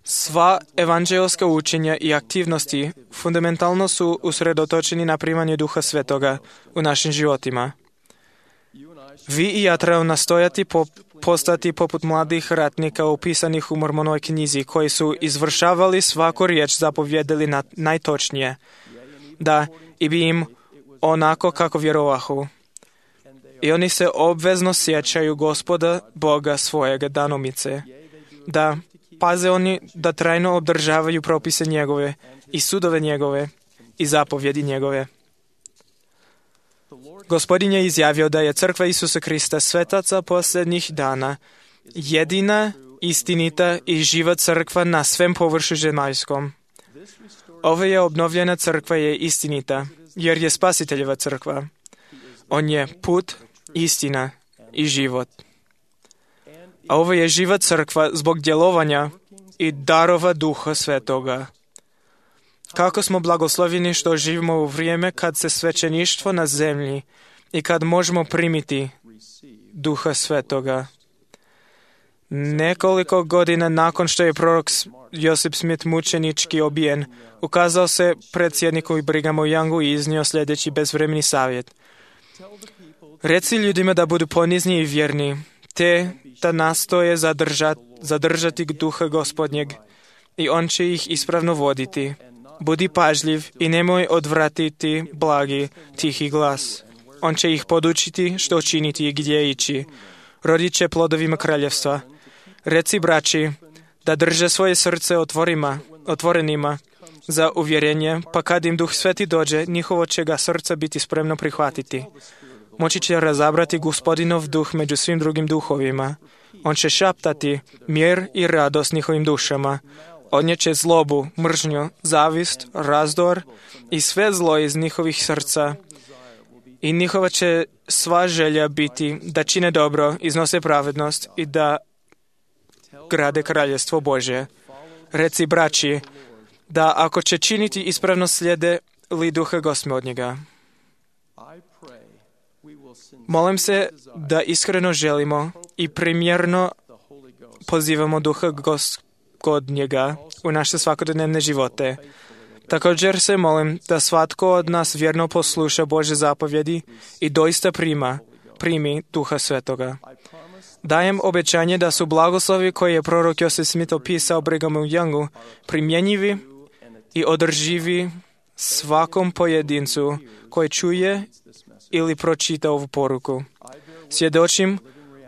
Sva evanđelska učenja i aktivnosti fundamentalno su usredotočeni na primanje Duha Svetoga u našim životima. Vi i ja trebamo nastojati postati poput mladih ratnika opisanih u Mormonovoj knjizi, koji su izvršavali svaku riječ, zapovjedili najtočnije, da i bi im onako kako vjerovahu. I oni se obvezno sjećaju Gospoda Boga svojega danomice, da paze oni da trajno obdržavaju propise njegove i sudove njegove i zapovjedi njegove. Gospodin je izjavio da je crkva Isusa Krista, svetaca posljednjih dana, jedina, istinita i živa crkva na svem površu zemaljskom. Ova je obnovljena crkva je istinita, jer je Spasiteljeva crkva. On je put, istina i život. A ovo je živa crkva zbog djelovanja i darova Duha Svetoga. Kako smo blagosloveni što živimo u vrijeme kad se svećeništvo na zemlji i kad možemo primiti Duha Svetoga. Nekoliko godina nakon što je prorok Josip Smith mučenički obijen, ukazao se predsjedniku Brigham Youngu i iznio sljedeći bezvremeni savjet. Reci ljudima da budu ponizni i vjerni, te da nastoje zadržati Duha Gospodnjeg i on će ih ispravno voditi. Budi pažljiv i nemoj odvratiti blagi, tihi glas. On će ih podučiti što činiti i gdje ići. Rodit će plodovima kraljevstva. Reci braći da drže svoje srce otvorenima za uvjerenje, pa kad im Duh Sveti dođe, njihovo će ga srca biti spremno prihvatiti. Moći će razabrati Gospodinov duh među svim drugim duhovima. On će šaptati mir i radost njihovim dušama. Odnijeće zlobu, mržnju, zavist, razdor i sve zlo iz njihovih srca. I njihova će sva želja biti da čine dobro, iznose pravednost i da grade kraljestvo Božje. Reci braći da ako će činiti ispravno slijede li Duha Gospodnjega. Molim se da iskreno želimo i primjerno pozivamo Duha Gospodnjega u naše svakodnevne živote. Također se molim da svatko od nas vjerno posluša Božje zapovjedi i doista primi Duha Svetoga. Dajem obećanje da su blagoslovi koje je prorok Josip Smith opisao Brighamu Youngu primjenjivi i održivi svakom pojedincu koji čuje ili pročita ovu poruku. Svjedočim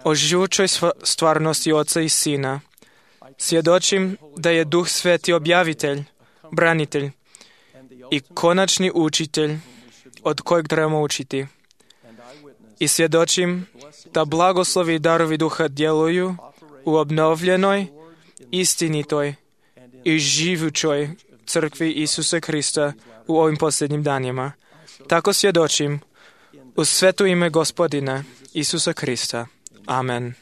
o živućoj stvarnosti Oca i Sina. Svjedočim da je Duh Sveti objavitelj, branitelj i konačni učitelj od kojeg trebamo učiti. I svjedočim da blagoslovi i darovi Duha djeluju u obnovljenoj, istinitoj i živućoj crkvi Isusa Krista u ovim posljednjim danima. Tako svjedočim u sveto ime Gospodina Isusa Krista. Amen.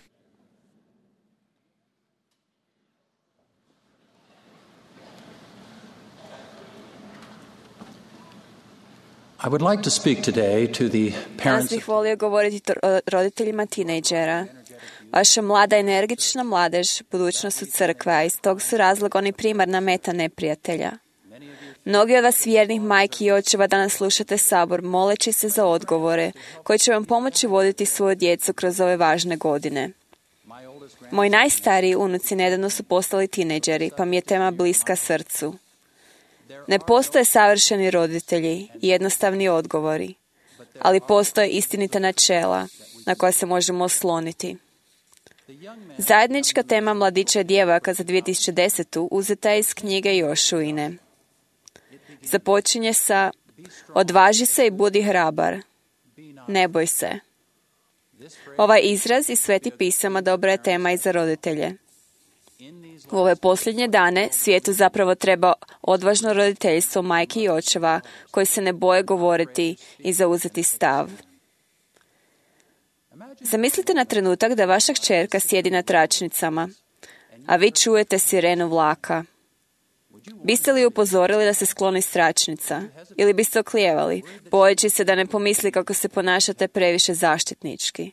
I would like to speak today to the Danas parents bih volio govoriti roditeljima tinejdžera. Vaša mlada, energična mladež, budućnost su crkve, a iz tog su razloga oni primarna meta neprijatelja. Mnogi od vas vjernih majki i očeva danas slušate sabor moleći se za odgovore koji će vam pomoći voditi svoju djecu kroz ove važne godine. Moji najstariji unuci nedavno su postali tinejdžeri, pa mi je tema bliska srcu. Ne postoje savršeni roditelji i jednostavni odgovori, ali postoje istinita načela na koja se možemo osloniti. Zajednička tema mladića i djevojaka za 2010. uzeta je iz knjige Jošuine. Započinje sa: odvaži se i budi hrabar. Ne boj se. Ovaj izraz iz Svetih pisama dobra je tema i za roditelje. U ove posljednje dane svijetu zapravo treba odvažno roditeljstvo majki i očeva koji se ne boje govoriti i zauzeti stav. Zamislite na trenutak da vaša kćerka sjedi na tračnicama, a vi čujete sirenu vlaka. Biste li upozorili da se skloni s tračnica? Ili biste oklijevali, bojeći se da ne pomisli kako se ponašate previše zaštitnički?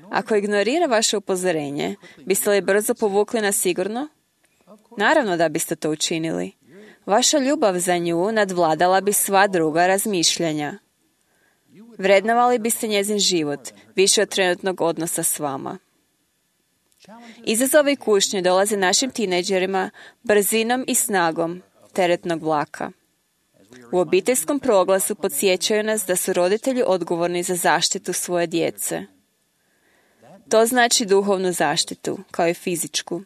Ako ignorira vaše upozorenje, biste li brzo povukli na sigurno? Naravno da biste to učinili. Vaša ljubav za nju nadvladala bi sva druga razmišljanja. Vrednovali biste njezin život, više od trenutnog odnosa s vama. Izazovi i kušnje dolaze našim tinejdžerima brzinom i snagom teretnog vlaka. U obiteljskom proglasu podsjećaju nas da su roditelji odgovorni za zaštitu svoje djece. To znači duhovnu zaštitu, kao i fizičku.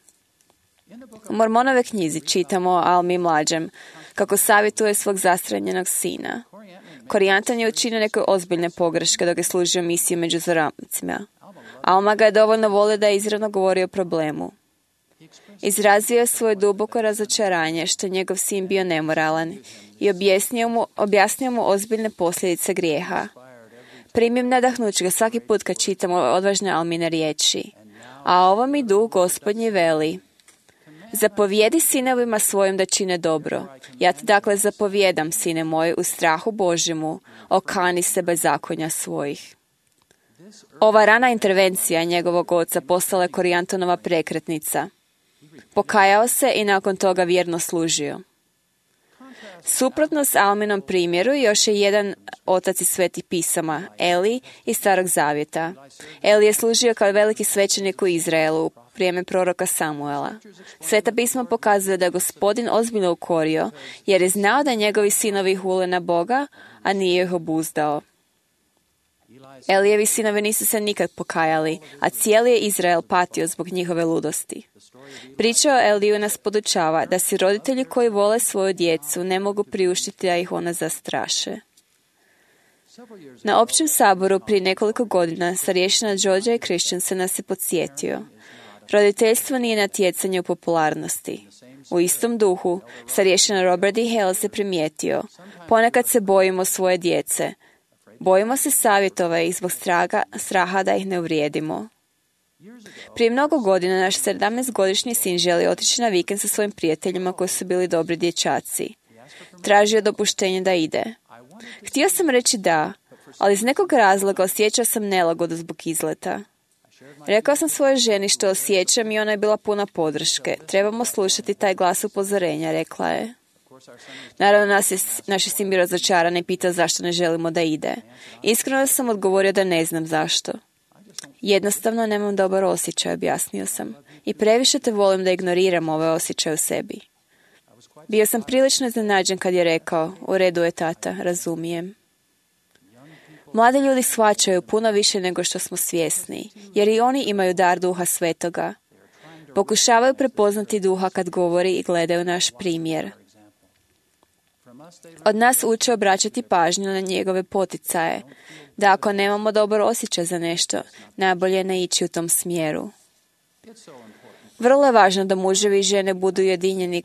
U Mormonove knjizi čitamo o Almi mlađem, kako savjetuje svog zastranjenog sina. Korijantan je učinio neke ozbiljne pogreške dok je služio misiju među zoramcima. Alma ga je dovoljno volio da je izravno govorio o problemu. Izrazio je svoje duboko razočaranje što je njegov sin bio nemoralan i objasnio mu ozbiljne posljedice grijeha. Primim nadahnuće ga svaki put kad čitamo odvažne Almine riječi. A ovo mi duh Gospodnji veli: zapovjedi sinovima svojim da čine dobro. Ja ti dakle zapovjedam, sine moj, u strahu Božjemu, okani se bezakonja svojih. Ova rana intervencija njegovog oca postala je Korijantonova prekretnica. Pokajao se i nakon toga vjerno služio. Suprotno s Alminom primjeru još je jedan otac iz Svetih pisama, Eli iz Starog zavjeta. Eli je služio kao veliki svećenik u Izraelu u vrijeme proroka Samuela. Sveta pisma pokazuje da je Gospodin ozbiljno ukorio, jer je znao da njegovi sinovi hule na Boga, a nije ih obuzdao. Elijevi sinovi nisu se nikad pokajali, a cijeli je Izrael patio zbog njihove ludosti. Priča o Eliju nas podučava da si roditelji koji vole svoju djecu ne mogu priuštiti da ih ona zastraše. Na općem saboru prije nekoliko godina starješina Georgia i Christensen nas je podsjetio. Roditeljstvo nije natjecanje u popularnosti. U istom duhu, starješina Robert D. Hales je primijetio: ponekad se bojimo svoje djece. Bojimo se savjetova ih zbog straha da ih ne uvrijedimo. Prije mnogo godina naš 17-godišnji sin želi otići na vikend sa svojim prijateljima koji su bili dobri dječaci. Tražio dopuštenje da ide. Htio sam reći da, ali iz nekog razloga osjećao sam nelagodu zbog izleta. Rekao sam svojoj ženi što osjećam i ona je bila puna podrške. Trebamo slušati taj glas upozorenja, rekla je. Naravno, naš je sin bio razočaran i pitao zašto ne želimo da ide. Iskreno sam odgovorio da ne znam zašto. Jednostavno nemam dobar osjećaj, objasnio sam. I previše te volim da ignoriram ove osjećaje u sebi. Bio sam prilično iznenađen kad je rekao: u redu je, tata, razumijem. Mladi ljudi shvaćaju puno više nego što smo svjesni, jer i oni imaju dar Duha Svetoga. Pokušavaju prepoznati Duha kad govori i gledaju naš primjer. Od nas uče obraćati pažnju na njegove poticaje, da ako nemamo dobar osjećaj za nešto, najbolje je ne ići u tom smjeru. Vrlo je važno da muževi i žene budu ujedinjeni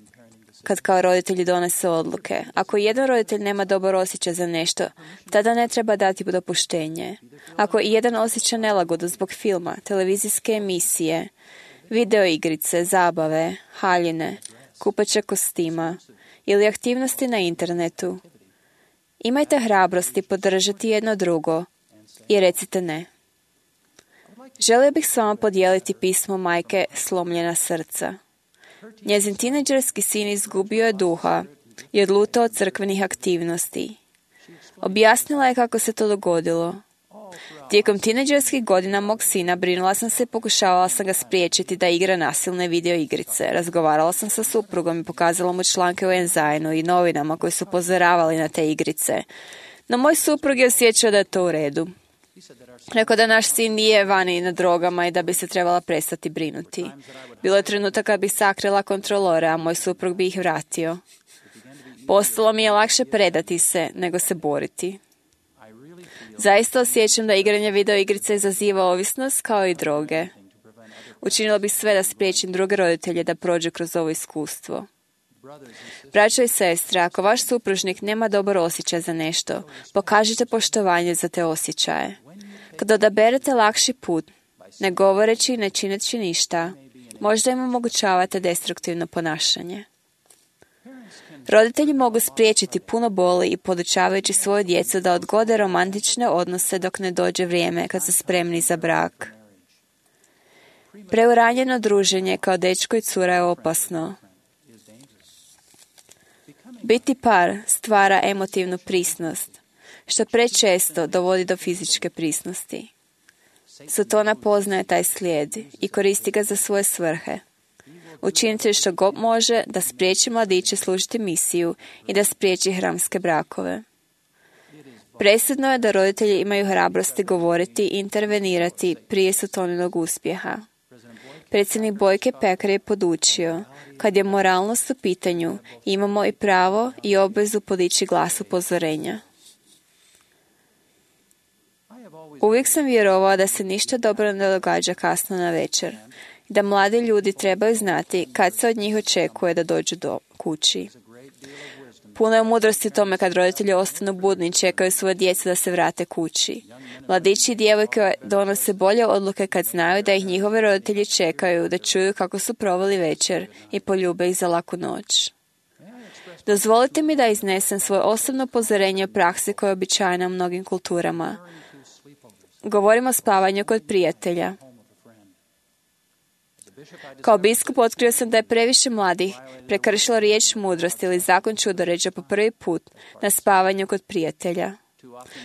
kad kao roditelji donese odluke. Ako jedan roditelj nema dobar osjećaj za nešto, tada ne treba dati dopuštenje. Ako i jedan osjeća nelagodu zbog filma, televizijske emisije, video igrice, zabave, haljine, kupača kostima ili aktivnosti na internetu, imajte hrabrosti podržati jedno drugo i recite ne. Želio bih s vama podijeliti pismo majke Slomljena srca. Njezin tinejdžerski sin izgubio je duha i odlutao od crkvenih aktivnosti. Objasnila je kako se to dogodilo. Tijekom tinejdžerskih godina mog sina brinula sam se i pokušavala sam ga spriječiti da igra nasilne video igrice. Razgovarala sam sa suprugom i pokazala mu članke u Enzajnu i novinama koji su upozoravali na te igrice. No moj suprug je osjećao da je to u redu. Rekao da naš sin nije vani na drogama i da bi se trebala prestati brinuti. Bilo je trenutak kad bi sakrila kontrolore, a moj suprug bi ih vratio. Postalo mi je lakše predati se nego se boriti. Zaista osjećam da igranje video igrice izaziva ovisnost kao i droge. Učinila bih sve da spriječim druge roditelje da prođu kroz ovo iskustvo. Braćo i sestre, ako vaš supružnik nema dobar osjećaj za nešto, pokažite poštovanje za te osjećaje. Kada odaberete lakši put, ne govoreći i ne čineći ništa, možda im omogućavate destruktivno ponašanje. Roditelji mogu spriječiti puno boli i podučavajući svoju djecu da odgode romantične odnose dok ne dođe vrijeme kad su spremni za brak. Preuranjeno druženje kao dečko i cura je opasno. Biti par stvara emotivnu prisnost, što prečesto dovodi do fizičke prisnosti. Satana poznaje taj slijed i koristi ga za svoje svrhe. Učinite što god može da spriječi mladiće služiti misiju i da spriječi hramske brakove. Presudno je da roditelji imaju hrabrosti govoriti i intervenirati prije Sataninog uspjeha. Predsjednik Bojke Pekar je podučio, kad je moralnost u pitanju, imamo i pravo i obvezu podići glas upozorenja. Uvijek sam vjerovao da se ništa dobro ne događa kasno na večer, da mladi ljudi trebaju znati kad se od njih očekuje da dođu do kući. Puno je mudrosti u tome kad roditelji ostanu budni i čekaju svoje djecu da se vrate kući. Mladići i djevojke donose bolje odluke kad znaju da ih njihovi roditelji čekaju, da čuju kako su proveli večer i poljube ih za laku noć. Dozvolite mi da iznesem svoje osobno upozorenje o praksi koja je običajna u mnogim kulturama. Govorimo o spavanju kod prijatelja. Kao biskup otkrio sam da je previše mladih prekršilo riječ mudrosti ili zakon čudoređa po prvi put na spavanju kod prijatelja.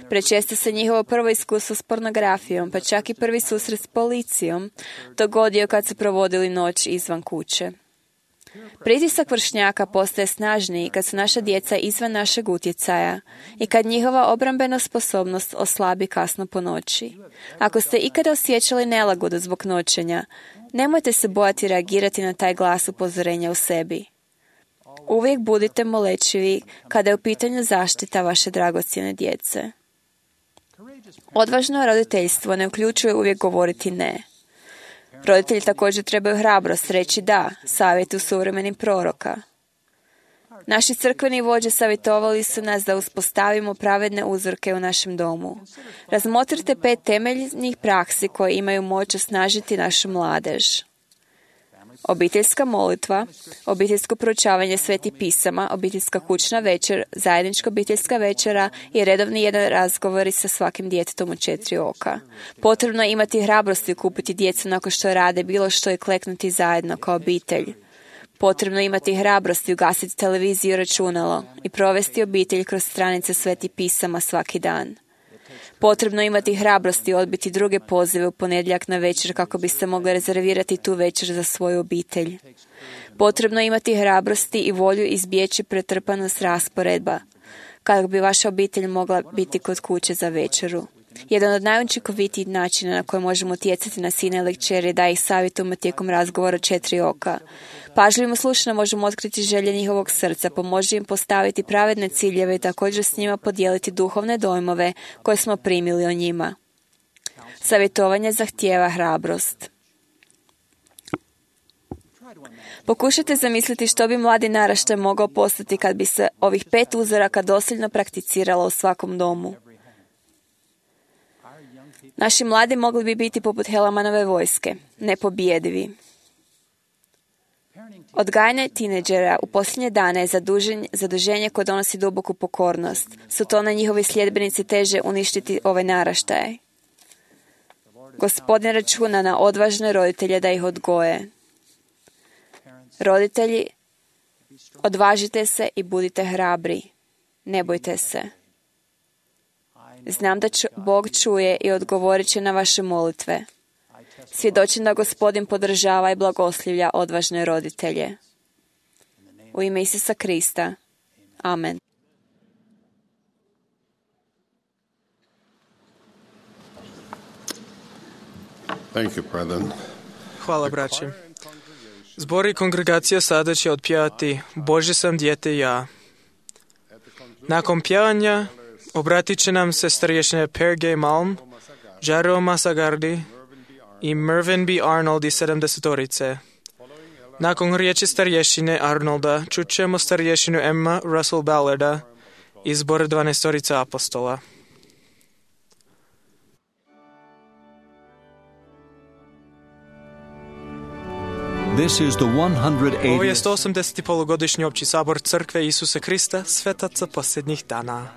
Prečesto se njihovo prvo iskustvo s pornografijom, pa čak i prvi susret s policijom, dogodio kad su provodili noć izvan kuće. Pritisak vršnjaka postaje snažniji kad su naša djeca izvan našeg utjecaja i kad njihova obrambena sposobnost oslabi kasno po noći. Ako ste ikada osjećali nelagodu zbog noćenja, nemojte se bojati reagirati na taj glas upozorenja u sebi. Uvijek budite molečivi kada je u pitanju zaštita vaše dragocjene djece. Odvažno roditeljstvo ne uključuje uvijek govoriti ne. Roditelji također trebaju hrabrost reći da savjetu suvremenih proroka. Naši crkveni vođe savjetovali su nas da uspostavimo pravedne uzorke u našem domu. Razmotrite 5 temeljnih praksi koje imaju moć osnažiti našu mladež. Obiteljska molitva, obiteljsko proučavanje svetih pisama, obiteljska kućna večer, zajednička obiteljska večera i redovni jedan razgovori sa svakim djetetom u 4 oka. Potrebno je imati hrabrosti kupiti djecu nakon što rade bilo što i kleknuti zajedno kao obitelj. Potrebno je imati hrabrosti ugasiti televiziju i računalo i provesti obitelj kroz stranice svetih pisama svaki dan. Potrebno je imati hrabrosti odbiti druge pozive u ponedjeljak na večer kako biste mogli rezervirati tu večer za svoju obitelj. Potrebno je imati hrabrosti i volju izbjeći pretrpanost rasporedba kako bi vaša obitelj mogla biti kod kuće za večeru. Jedan od najučinkovitijih načina na koji možemo utjecati na sine ili kćeri da ih savjetujemo tijekom razgovora 4 oka. Pažljivim slušanjem možemo otkriti želje njihovog srca, pomoći im postaviti pravedne ciljeve i također s njima podijeliti duhovne dojmove koje smo primili o njima. Savjetovanje zahtijeva hrabrost. Pokušajte zamisliti što bi mladi naraštaj mogao postati kad bi se ovih 5 uzoraka dosljedno prakticiralo u svakom domu. Naši mladi mogli bi biti poput Helamanove vojske, nepobjedivi. Odgajanje tineđera u posljednje dane je zaduženje koje donosi duboku pokornost. Su to na njihovi sljedbenici teže uništiti ove naraštaje. Gospodin računa na odvažne roditelje da ih odgoje. Roditelji, odvažite se i budite hrabri. Ne bojte se. Znam da Bog čuje i odgovorit će na vaše molitve. Svjedočim da Gospodin podržava i blagoslivlja odvažne roditelje. U ime Isusa Krista. Amen. Thank you, brethren. Hvala, braći. Zbor i kongregacija sada će otpjevati Bože sam dijete ja. Nakon pjevanja obratit će nam se starješine Per G. Malm, Jaro Masagardi i Mervyn B. Arnold iz 70-orice. Nakon riječi starješine Arnolda čućemo starješinu Emma Russell Ballarda iz zbora 12-orice apostola. This is the 180th. Ovo je 180. polugodišnji opći sabor Crkve Isusa Krista, svetaca posljednjih dana.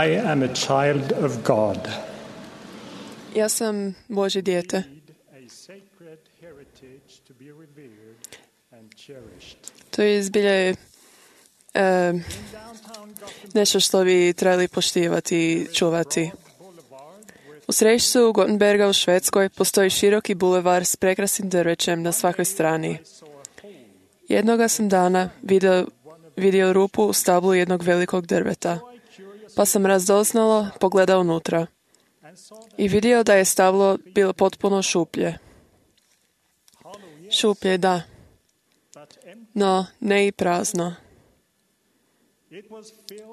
I am a child of God. Ja sam Božje dijete. To je zbilja nešto što bi trebali poštivati i čuvati. U središtu Gothenburga u Švedskoj postoji široki bulevar s prekrasnim drvećem na svakoj strani. Jednoga sam dana vidio rupu u stablu jednog velikog drveta, pa sam radoznalo pogledao unutra i vidio da je stablo bilo potpuno šuplje. Šuplje, da, no ne i prazno.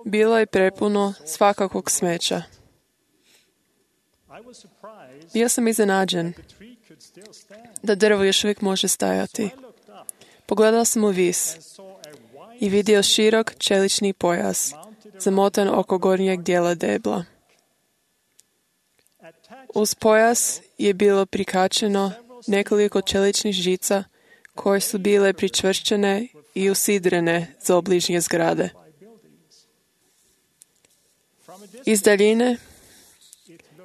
Bilo je prepuno svakakvog smeća. Bio sam iznenađen da drvo još uvijek može stajati. Pogledao sam u vis i vidio širok čelični pojas, zamotan oko gornjeg dijela debla. Uz pojas je bilo prikačeno nekoliko čeličnih žica koje su bile pričvršćene i usidrene za obližnje zgrade. Iz daljine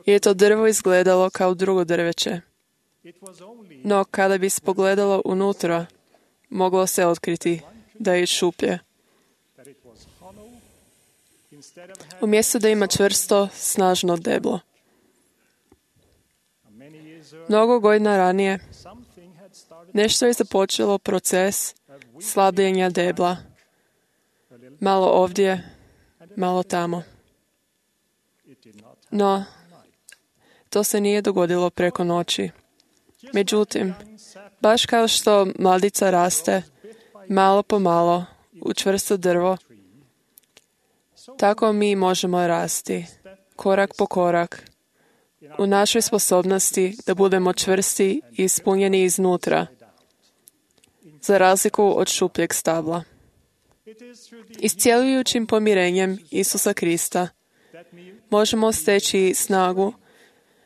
je to drvo izgledalo kao drugo drveće, no kada bi se pogledalo unutra, moglo se otkriti da je šuplje. Umjesto da ima čvrsto, snažno deblo. Mnogo godina ranije, nešto je započelo proces slabljenja debla. Malo ovdje, malo tamo. No, to se nije dogodilo preko noći. Međutim, baš kao što mladica raste, malo po malo, u čvrsto drvo, tako mi možemo rasti, korak po korak, u našoj sposobnosti da budemo čvrsti i ispunjeni iznutra, za razliku od šupljeg stabla. Iscjeljujućim pomirenjem Isusa Krista možemo steći snagu,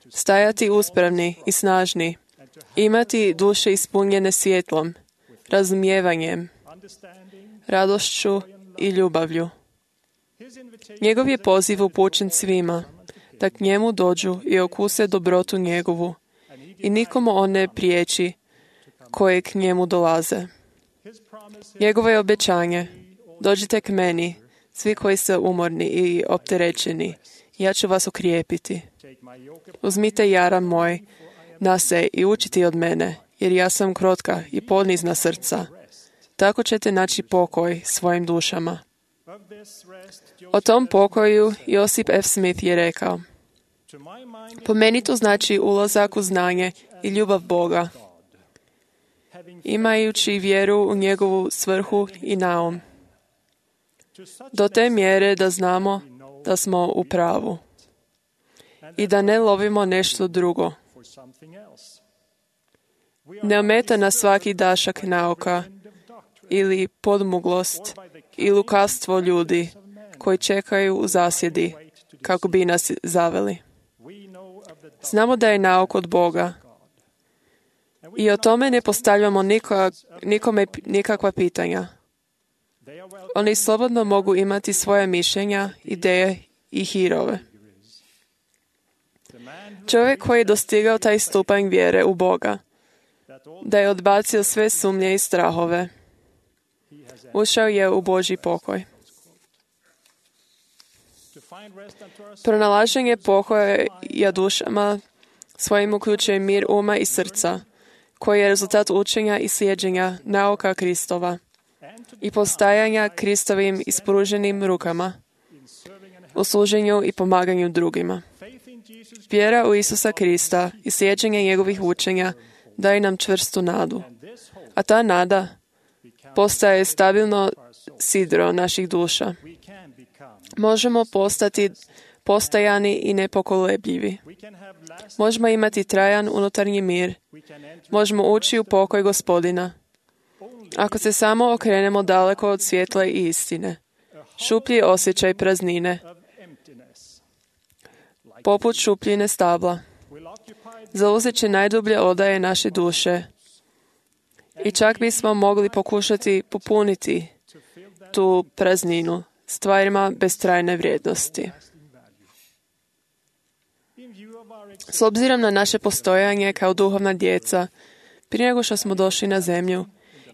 stajati uspravni i snažni, imati duše ispunjene svjetlom, razumijevanjem, radošću i ljubavlju. Njegov je poziv upućen svima, da k njemu dođu i okuse dobrotu njegovu i nikomu on ne priječi koje k njemu dolaze. Njegovo je obećanje, dođite k meni, svi koji ste umorni i opterećeni, ja ću vas okrijepiti. Uzmite jaram moj na se i učite od mene, jer ja sam krotka i ponizna srca. Tako ćete naći pokoj svojim dušama. O tom pokoju Josip F. Smith je rekao: po meni to znači ulazak u znanje i ljubav Boga, imajući vjeru u njegovu svrhu i naum, do te mjere da znamo da smo u pravu i da ne lovimo nešto drugo. Ne ometa nas svaki dašak nauka ili podmuglost i lukavstvo ljudi koji čekaju u zasjedi kako bi nas zaveli. Znamo da je nauk od Boga i o tome ne postavljamo nikome nikakva pitanja. Oni slobodno mogu imati svoje mišljenja, ideje i hirove. Čovjek koji je dostigao taj stupanj vjere u Boga, da je odbacio sve sumnje i strahove, ušao je u Božji pokoj. Pronalaženje pokoja dušama svojim uključuje mir uma i srca, koji je rezultat učenja i slijeđenja nauka Kristova i postajanja Kristovim ispruženim rukama u služenju i pomaganju drugima. Vjera u Isusa Krista i slijeđenje njegovih učenja daje nam čvrstu nadu, a ta nada postaje stabilno sidro naših duša. Možemo postati postajani i nepokolebljivi. Možemo imati trajan unutarnji mir. Možemo ući u pokoj Gospodina. Ako se samo okrenemo daleko od svjetla i istine, šuplji osjećaj praznine, poput šupljine stabla, zauzet će najdublje odaje naše duše i čak bismo mogli pokušati popuniti tu prazninu stvarima bez trajne vrijednosti. S obzirom na naše postojanje kao duhovna djeca, prije nego što smo došli na zemlju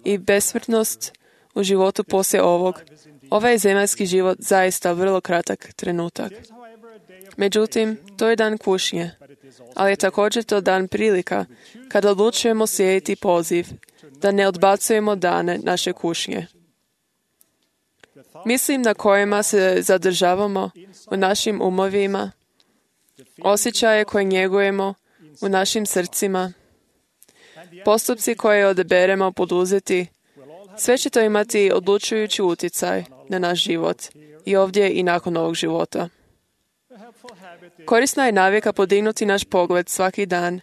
i besmrtnost u životu poslije ovog, ovaj je zemaljski život zaista vrlo kratak trenutak. Međutim, to je dan kušnje, ali je također to dan prilika kada odlučujemo slijediti poziv, da ne odbacujemo dane naše kušnje. Mislim na kojima se zadržavamo u našim umovima, osjećaje koje njegujemo u našim srcima, postupci koje odaberemo poduzeti, sve će to imati odlučujući utjecaj na naš život i ovdje i nakon ovog života. Korisna je navika podignuti naš pogled svaki dan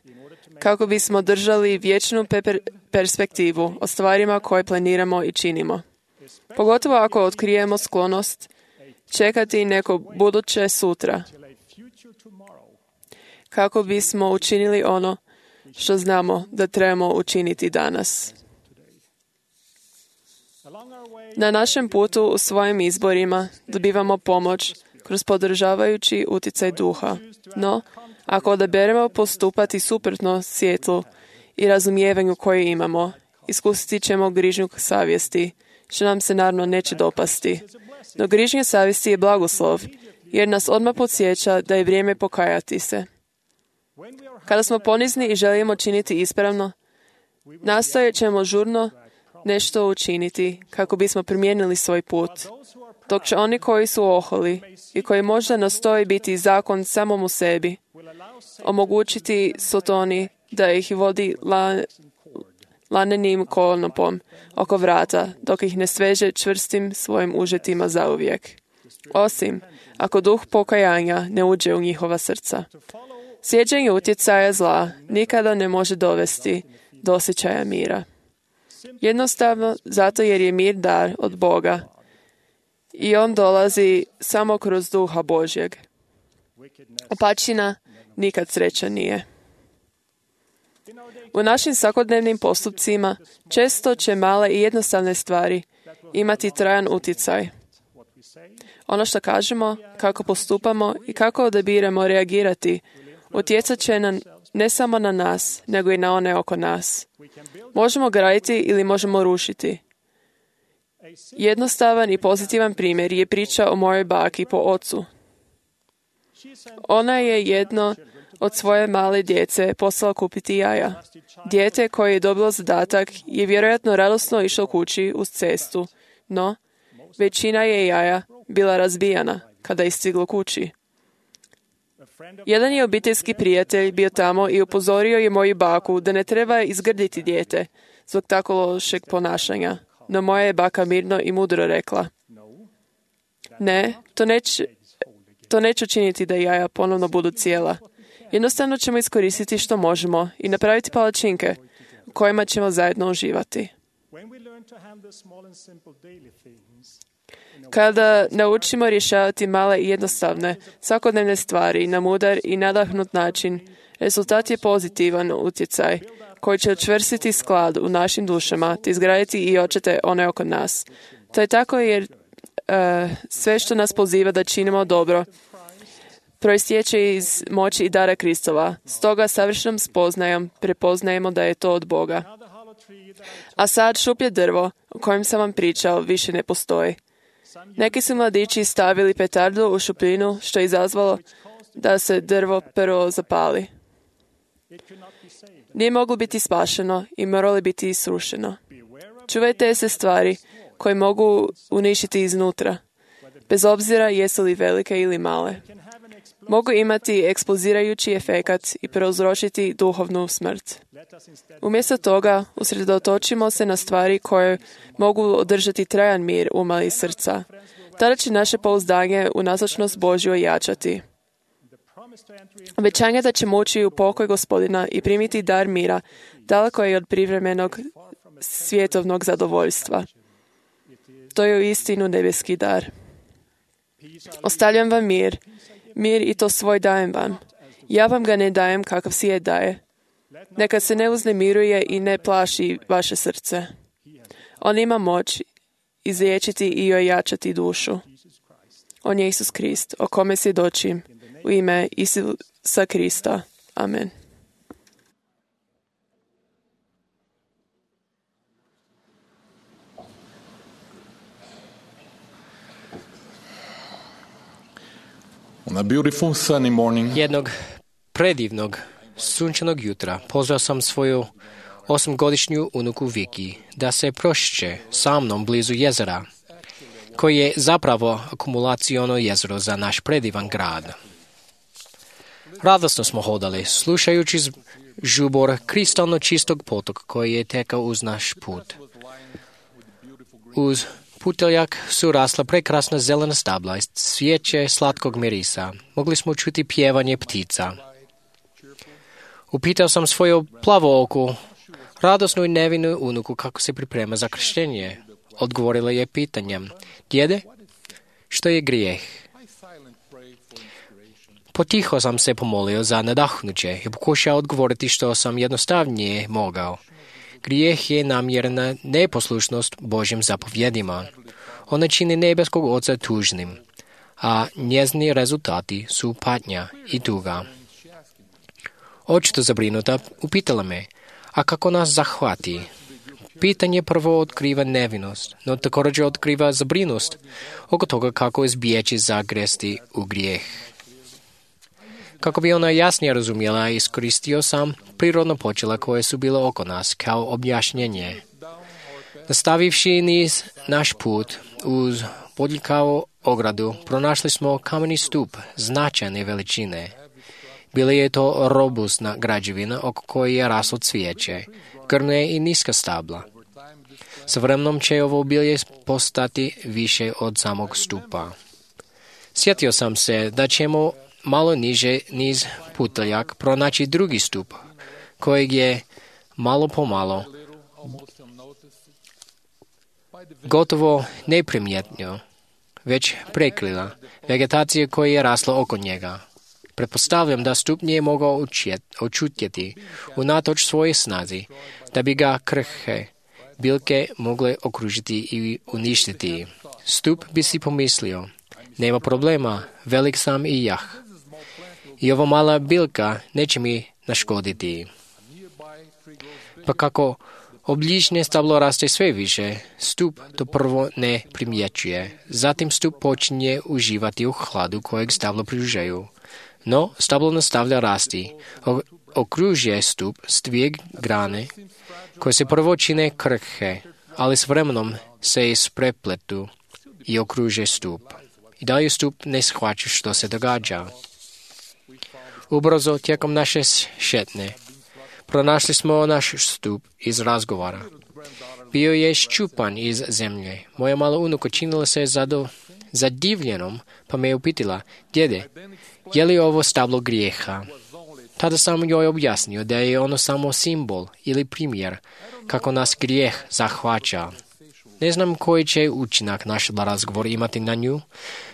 kako bismo držali vječnu perspektivu o stvarima koje planiramo i činimo. Pogotovo ako otkrijemo sklonost čekati neko buduće sutra, kako bismo učinili ono što znamo da trebamo učiniti danas. Na našem putu u svojim izborima dobivamo pomoć kroz podržavajući utjecaj duha. No, ako odaberemo postupati suprotno svjetlu i razumijevanju koje imamo, iskusit ćemo grižnju savjesti, što nam se naravno neće dopasti. No grižnja savjesti je blagoslov, jer nas odmah podsjeća da je vrijeme pokajati se. Kada smo ponizni i želimo činiti ispravno, nastojat ćemo žurno nešto učiniti kako bismo promijenili svoj put, dok će oni koji su oholi i koji možda nastoji biti zakon samom u sebi, omogućiti Sotoni da ih vodi lanenim konopom oko vrata, dok ih ne sveže čvrstim svojim užetima zauvijek. Osim ako duh pokajanja ne uđe u njihova srca. Slijeđenje utjecaja zla nikada ne može dovesti do osjećaja mira. Jednostavno zato jer je mir dar od Boga i on dolazi samo kroz duha Božjeg. Opačina nikad sreća nije. U našim svakodnevnim postupcima često će male i jednostavne stvari imati trajan utjecaj. Ono što kažemo, kako postupamo i kako odabiramo reagirati, utjecat će ne samo na nas, nego i na one oko nas. Možemo graditi ili možemo rušiti. Jednostavan i pozitivan primjer je priča o mojoj baki po ocu. Ona je jedno od svoje male djece poslala kupiti jaja. Dijete koje je dobilo zadatak je vjerojatno radosno išlo kući uz cestu, no većina je jaja bila razbijana kada je stiglo kući. Jedan je obiteljski prijatelj bio tamo i upozorio je moju baku da ne treba izgrditi dijete zbog tako lošeg ponašanja. No moja je baka mirno i mudro rekla: ne, to neće učiniti da jaja ponovno budu cijela. Jednostavno ćemo iskoristiti što možemo i napraviti palačinke u kojima ćemo zajedno uživati. Kada naučimo rješavati male i jednostavne svakodnevne stvari na mudar i nadahnut način, rezultat je pozitivan utjecaj koji će učvrstiti sklad u našim dušama te izgraditi i očete one oko nas. To je tako jer sve što nas poziva da činimo dobro proistječe iz moći i dara Kristova. Stoga savršenom spoznajom prepoznajemo da je to od Boga. A sad šuplje drvo o kojem sam vam pričao više ne postoji. Neki su mladići stavili petardu u šupljinu što je izazvalo da se drvo prvo zapali. Nije moglo biti spašeno i moralo biti srušeno. Čuvajte se stvari koje mogu uništiti iznutra, bez obzira jesu li velike ili male. Mogu imati eksplozirajući efekat i prouzročiti duhovnu smrt. Umjesto toga, usredotočimo se na stvari koje mogu održati trajan mir uma i srca. Tada će naše pouzdanje u nazočnost Božju jačati. Obećanje da ćemo ući u pokoj Gospodina i primiti dar mira daleko je od privremenog svjetovnog zadovoljstva. To je uistinu nebeski dar. Ostavljam vam mir i to svoj dajem vam. Ja vam ga ne dajem kakav svijet daje. Neka se ne uznemiruje i ne plaši vaše srce. On ima moć izliječiti i ojačati dušu. On je Isus Krist, o kome svjedočim, u ime Isusa Krista. Amen. On a beautiful sunny morning. Jednog predivnog sunčanog jutra pozvao sam svoju 8-godišnju unuku Viki da se prošće sa mnom blizu jezera, koji je zapravo akumulaciono jezero za naš predivan grad. Radosno smo hodali, slušajući žubor kristalno čistog potoka koji je tekao uz naš put. Uz puteljak su rasla prekrasna zelena stabla i cvijeće slatkog mirisa. Mogli smo čuti pjevanje ptica. Upitao sam svoju plavooku, radosnu i nevinu unuku kako se priprema za krštenje. odgovorila je pitanjem: Djede, što je grijeh? Potiho sam se pomolio za nadahnuće i pokušao odgovoriti što sam jednostavnije mogao. Grijeh je namjerna neposlušnost Božjim zapovjedima. Ona čini nebeskog Oca tužnim, a njezini rezultati su patnja i tuga. Očito zabrinuta upitala me: a kako nas zahvati? Pitanje prvo otkriva nevinost, no također otkriva zabrinutost oko toga kako izbjeći zagresti u grijeh. Kako bi ona jasnije razumjela, iskoristio sam prirodno počela koje su bile oko nas kao objašnjenje. Nastavivši niz naš put uz bodljikavu ogradu, pronašli smo kameni stup značajne veličine. Bila je to robustna građevina oko koje je raslo cvijeće, grne i niska stabla. Sa vremenom će ovo obilje postati više od samog stupa. Sjetio sam se da ćemo malo niže niz putaljak pronaći drugi stup, kojeg je malo po malo, gotovo neprimjetno, već prekrila vegetacija koja je rasla oko njega. Pretpostavljam da stup nije mogao očutjeti unatoč svoje snazi, da bi ga krhke biljke mogle okružiti i uništiti. Stup bi si pomislio: nema problema, velik sam i jah. I ova mala biljka neće mi naškoditi. Pa kako obližnje stablo raste sve više, stup to prvo ne primjećuje. Zatim stup počinje uživati u hladu kojeg stablo pružaju. No, stablo nastavlja rasti. Okružuje stup s dvije grane koje se prvo čine krhke, ali s vremenom se isprepletu i okruže stup. I dalje stup ne shvaća što se događa. Ubrzo tijekom naše šetnje pronašli smo naš stup iz razgovora. Bio je ščupan iz zemlje. Moja mala unuka činila se zadivljenom, pa me je upitila: djede, je li ovo stablo grijeha? Tada sam joj objasnio da je ono samo simbol ili primjer kako nas grijeh zahvaća. Ne znam koji će učinak naš razgovor imati na nju,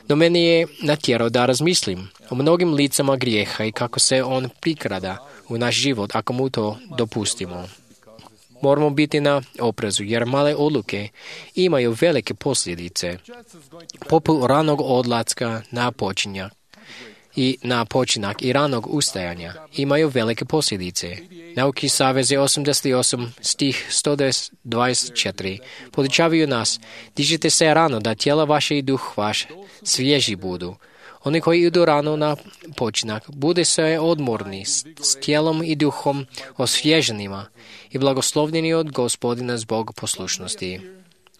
no meni je natjerao da razmislim o mnogim licama grijeha i kako se on prikrada u naš život ako mu to dopustimo. Moramo biti na oprezu jer male odluke imaju velike posljedice, poput ranog odlaska na počinak i ranog ustajanja imaju velike posljedice. Nauki Saveze 88 stih 124 podučavaju nas: dižite se rano da tijela vaše i duh vaš svježi budu. Oni koji idu rano na počinak bude se odmorni s tijelom i duhom osvježenima i blagoslovljeni od Gospodina zbog poslušnosti.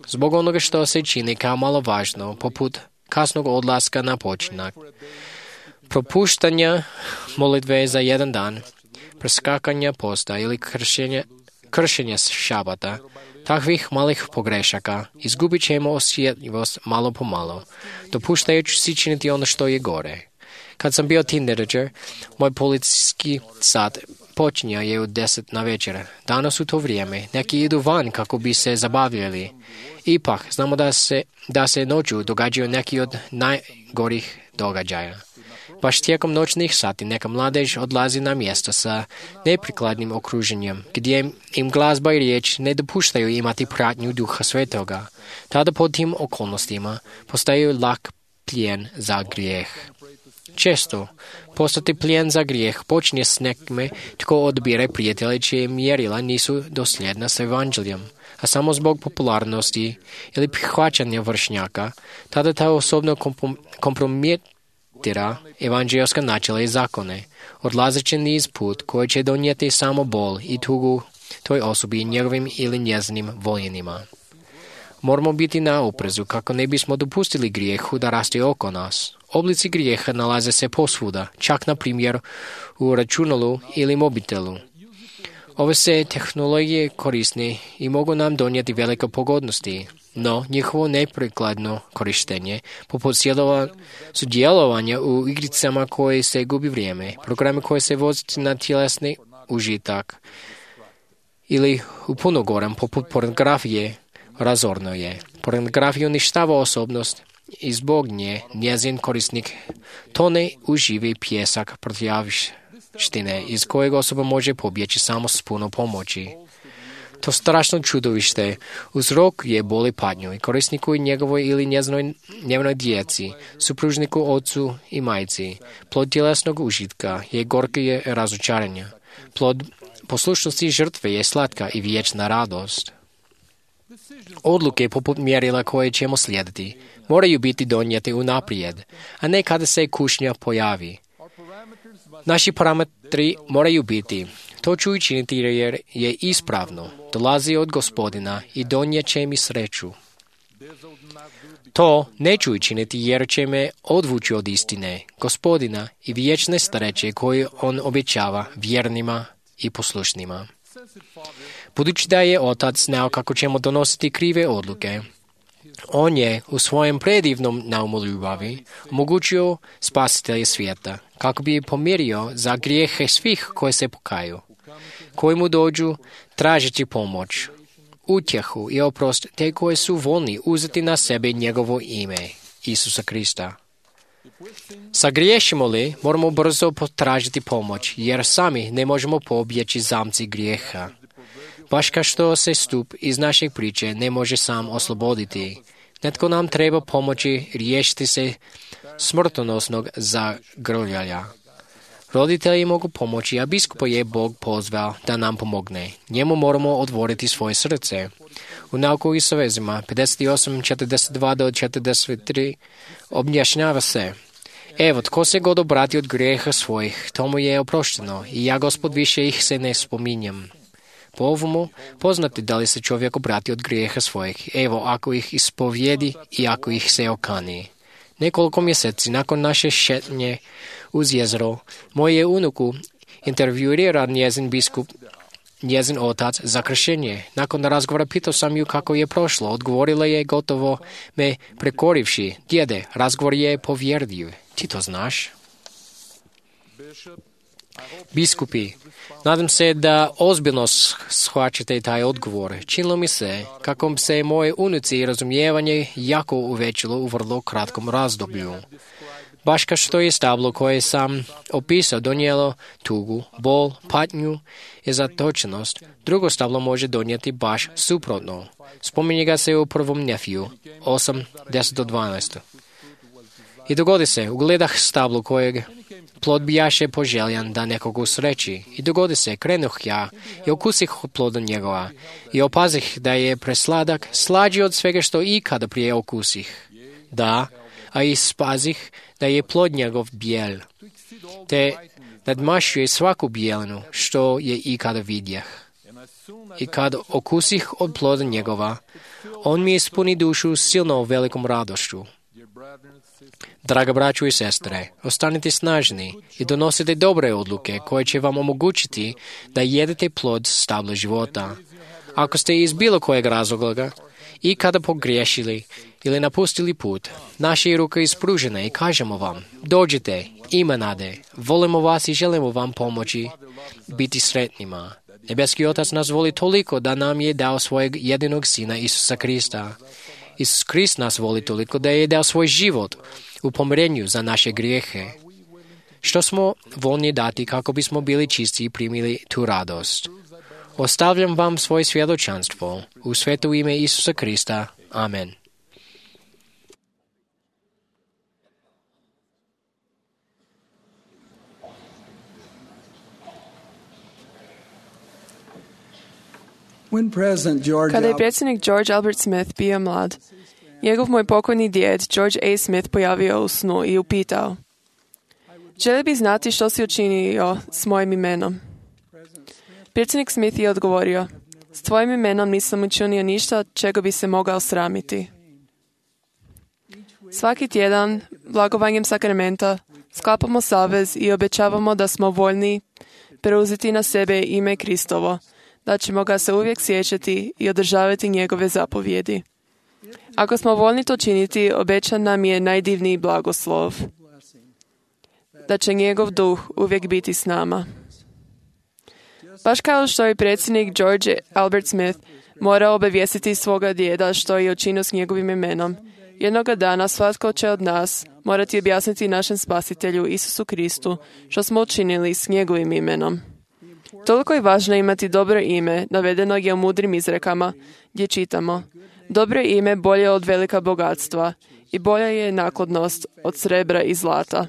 Zbog onoga što se čini kao malo važno, poput kasnog odlaska na počinak, propuštanja molitve za jedan dan, preskakanja posta ili kršenja šabata, takvih malih pogrešaka izgubit ćemo osjetljivost malo po malo, dopuštajući si činiti ono što je gore. Kad sam bio teenager, moj policijski sat počinja je u 10 na večer. Danas u to vrijeme neki idu van kako bi se zabavljali. Ipak, znamo da se noću događaju neki od najgorih događaja. Baš tijekom noćnih sati neka mladež odlazi na mjesto sa neprikladnim okruženjem, gdje im glazba i riječ ne dopuštaju imati pratnju Duha Svetoga. Tada pod tim okolnostima postaju lak plijen za grijeh. Često postati plijen za grijeh počinje s nekime tko odbire prijatelje čije mjerila nisu dosljedna s evanđeljem, a samo zbog popularnosti ili prihvaćanja vršnjaka, tada ta osobno kompromitira evanđelska načela i zakone, odlazeći niz put koji će donijeti samo bol i tugu toj osobi i njegovim ili njezinim voljenima. Moramo biti na oprezu kako ne bismo dopustili grijehu da raste oko nas. Oblici grijeha nalaze se posvuda, čak na primjer u računalu ili mobitelu. Ove se tehnologije korisne i mogu nam donijeti velike pogodnosti, no njihovo neprikladno korištenje, poput sudjelovanja u igricama koje se gubi vrijeme, programe koje se voziti na tjelesni užitak ili u puno gorem, poput pornografije, razorno je. Pornografija uništava osobnost i zbog nje njezin korisnik tone u živi pijesak protjavštine iz kojeg osoba može pobjeći samo s puno pomoći. To strašno čudovište uzrokuje bol i patnju i korisniku i njegovoj ili njezinoj djeci, supružniku, ocu i majci. Plod tjelesnog užitka je gorke razočaranja. Plod poslušnosti žrtve je slatka i vječna radost. Odluke poput mjerila koje ćemo slijediti moraju biti donijete unaprijed, a ne kada se kušnja pojavi. Naši parametri moraju biti: to ću učiniti jer je ispravno, dolazi od Gospodina i donijet će mi sreću. To neću učiniti jer će me odvući od istine, Gospodina i vječne sreće koje on obećava vjernima i poslušnima. Budući da je Otac znao kako ćemo donositi krive odluke, on je u svojem predivnom naumu ljubavi omogućio spasitelja svijeta, kako bi pomirio za grijehe svih koji se pokaju, koji mu dođu tražiti pomoć, utjehu i oprost, te koji su voljni uzeti na sebe njegovo ime, Isusa Krista. Sagriješimo li, moramo brzo potražiti pomoć, jer sami ne možemo pobjeći zamci grijeha. Baš kao što se stup iz naše priče ne može sam osloboditi, netko nam treba pomoći riješiti se smrtonosnog zagrljanja. Roditelji mogu pomoći, a biskupa je Bog pozvao da nam pomogne. Njemu moramo otvoriti svoje srce. U nauku i savezima 58:42-43 objašnjava se: evo, tko se god obrati od grijeha svojih, tomu je oprošteno, i ja, Gospod, više ih se ne spominjem. Po ovomu poznati da li se čovjek obrati od grijeha svojih, evo, ako ih ispovjedi i ako ih se okani. Nekoliko mjeseci nakon naše šetnje uz jezero, moje unuku intervjuira njezin biskup, njezin otac, za kršenje. Nakon razgovora pitao sam ju kako je prošlo. Odgovorila je gotovo me prekorivši: djede, razgovor je povjerljiv. Ti to znaš? Biskupi, nadam se da ozbiljno shvaćate taj odgovor. Činilo mi se kako se moje unuci razumijevanje jako uvećalo u vrlo kratkom razdoblju. Baš kao što je stablo koje sam opisao donijelo tugu, bol, patnju i zatočenost, drugo stablo može donijeti baš suprotno. Spominje ga se u prvom Nefiju 8:10-12. I dogodi se, ugledah stablo kojeg plod bijaše poželjan da nekog usreći. I dogodi se, krenuh ja i okusih od ploda njegova i opazih da je presladak, slađi od svega što ikada prije okusih. Da, a i spazih da je plod njegov bijel, te nadmašuje svaku bijelinu što je ikada vidjeh. I kad okusih od ploda njegova, on mi ispuni dušu silno velikom radošću. Draga braćo i sestre, ostanite snažni i donosite dobre odluke koje će vam omogućiti da jedete plod stabla života. Ako ste iz bilo kojeg razloga i kada pogriješili ili napustili put, naše ruke ispružene i kažemo vam: dođite, ima nade, volimo vas i želimo vam pomoći biti sretnima. Nebeski Otac nas voli toliko da nam je dao svojeg jedinog Sina Isusa Krista. Isus Krist nas voli toliko da je dao svoj život u pomirenju za naše grijehe. Što smo voljni dati kako bismo bili čisti i primili tu radost? Ostavljam vam svoje svjedočanstvo u sveto ime Isusa Krista. Amen. Kada je predsjednik George Albert Smith bio mlad, njegov moj pokojni djed George A. Smith pojavio u snu i upitao: želi bi znati što si učinio s mojim imenom? Predsjednik Smith je odgovorio: s tvojim imenom nisam učinio ništa čega bi se mogao sramiti. Svaki tjedan, blagovanjem sakramenta, sklapamo savez i obećavamo da smo voljni preuzeti na sebe ime Kristovo, da ćemo ga se uvijek sjećati i održavati njegove zapovjedi. Ako smo voljni to činiti, obećan nam je najdivniji blagoslov, da će njegov duh uvijek biti s nama. Baš kao što je predsjednik George Albert Smith Mora obavijestiti svoga djeda što je učinio s njegovim imenom. Jednoga dana svatko će od nas morati objasniti našem Spasitelju Isusu Kristu što smo učinili s njegovim imenom. Toliko je važno imati dobro ime, navedeno je u mudrim izrekama, gdje čitamo: dobro ime bolje od velika bogatstva i bolja je naklonost od srebra i zlata.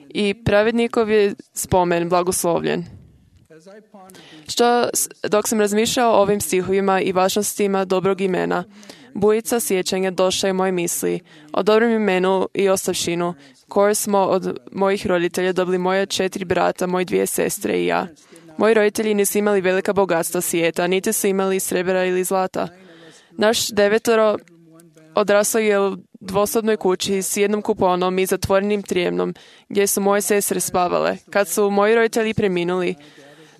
I pravednikov je spomen blagoslovljen. Dok sam razmišljao o ovim stihovima i važnostima dobrog imena, bujica sjećanja došla je moje misli o dobrom imenu i ostavštinu koje smo od mojih roditelja dobili moja 4 brata, moje 2 sestre i ja. Moji roditelji nisu imali velika bogatstva svijeta, niti su imali srebra ili zlata. Naš 9 odrasao je u dvosobnoj kući s jednom kuponom i zatvorenim trijemnom gdje su moje sestre spavale. Kad su moji roditelji preminuli,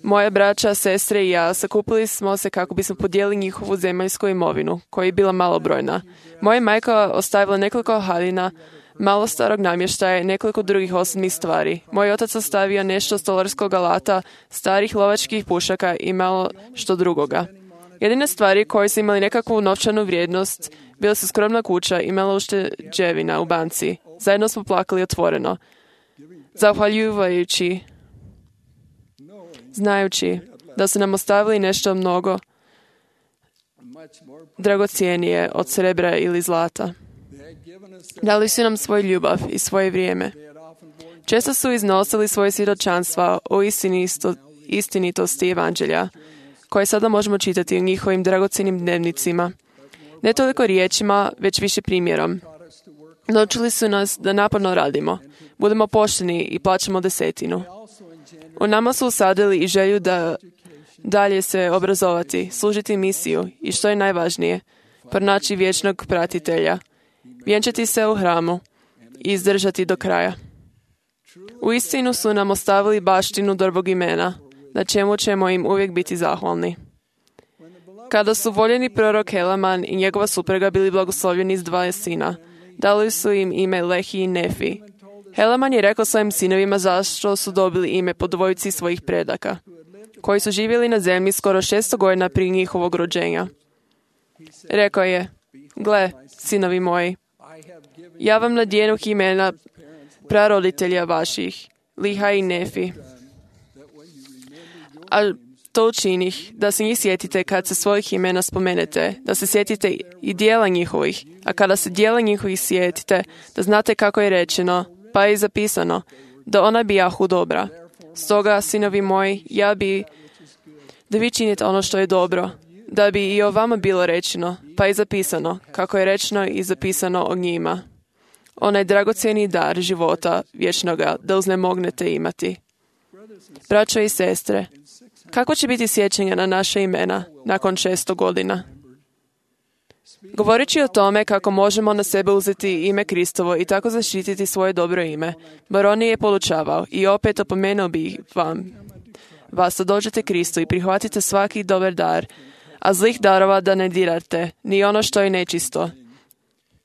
moja braća, sestre i ja sakupili smo se kako bismo podijelili njihovu zemaljsku imovinu, koja je bila malobrojna. Moja majka ostavila nekoliko haljina, malo starog namještaja i nekoliko drugih osobnih stvari. Moj otac ostavio nešto stolarskog alata, starih lovačkih pušaka i malo što drugoga. Jedine stvari koje su imali nekakvu novčanu vrijednost bila su skromna kuća i malo ušteđevina u banci. Zajedno smo plakali otvoreno, zahvaljujući, znajući da su nam ostavili nešto mnogo dragocijenije od srebra ili zlata. Dali su nam svoju ljubav i svoje vrijeme. Često su iznosili svoje svjedočanstva o istinitosti evanđelja, koje sada možemo čitati u njihovim dragocjenim dnevnicima. Ne toliko riječima, već više primjerom. Naučili su nas da naporno radimo, budemo pošteni i plaćamo 10. U nama su usadili i želju da dalje se obrazovati, služiti misiju i, što je najvažnije, pronaći vječnog pratitelja, vjenčati se u hramu i izdržati do kraja. Uistinu su nam ostavili baštinu dobrog imena, na čemu ćemo im uvijek biti zahvalni. Kada su voljeni prorok Helaman i njegova supruga bili blagoslovljeni s 2 sina, dali su im ime Lehi i Nefi. Helaman je rekao svojim sinovima zašto su dobili ime po dvojici svojih predaka, koji su živjeli na zemlji skoro 600 godina prije njihovog rođenja. Rekao je: gle, sinovi moji, ja vam nadjenuh imena praroditelja vaših, Liha i Nefi. A to učinih, da se njih sjetite kad se svojih imena spomenete, da se sjetite i dijela njihovih, a kada se dijela njihovih sjetite, da znate kako je rečeno, pa je zapisano, da ona bijahu dobra. Stoga, sinovi moji, ja bi da vi činite ono što je dobro, da bi i o vama bilo rečeno, pa je zapisano, kako je rečeno i zapisano o njima. Onaj dragocjeni dar života vječnoga da uznemognete imati. Braćo i sestre, kako će biti sjećanja na naše imena nakon 600 godina? Govoreći o tome kako možemo na sebe uzeti ime Kristovo i tako zaštititi svoje dobro ime, Baroni je podučavao i opet opomenuo bi vas da dođete Kristu i prihvatite svaki dobar dar, a zlih darova da ne dirate, ni ono što je nečisto.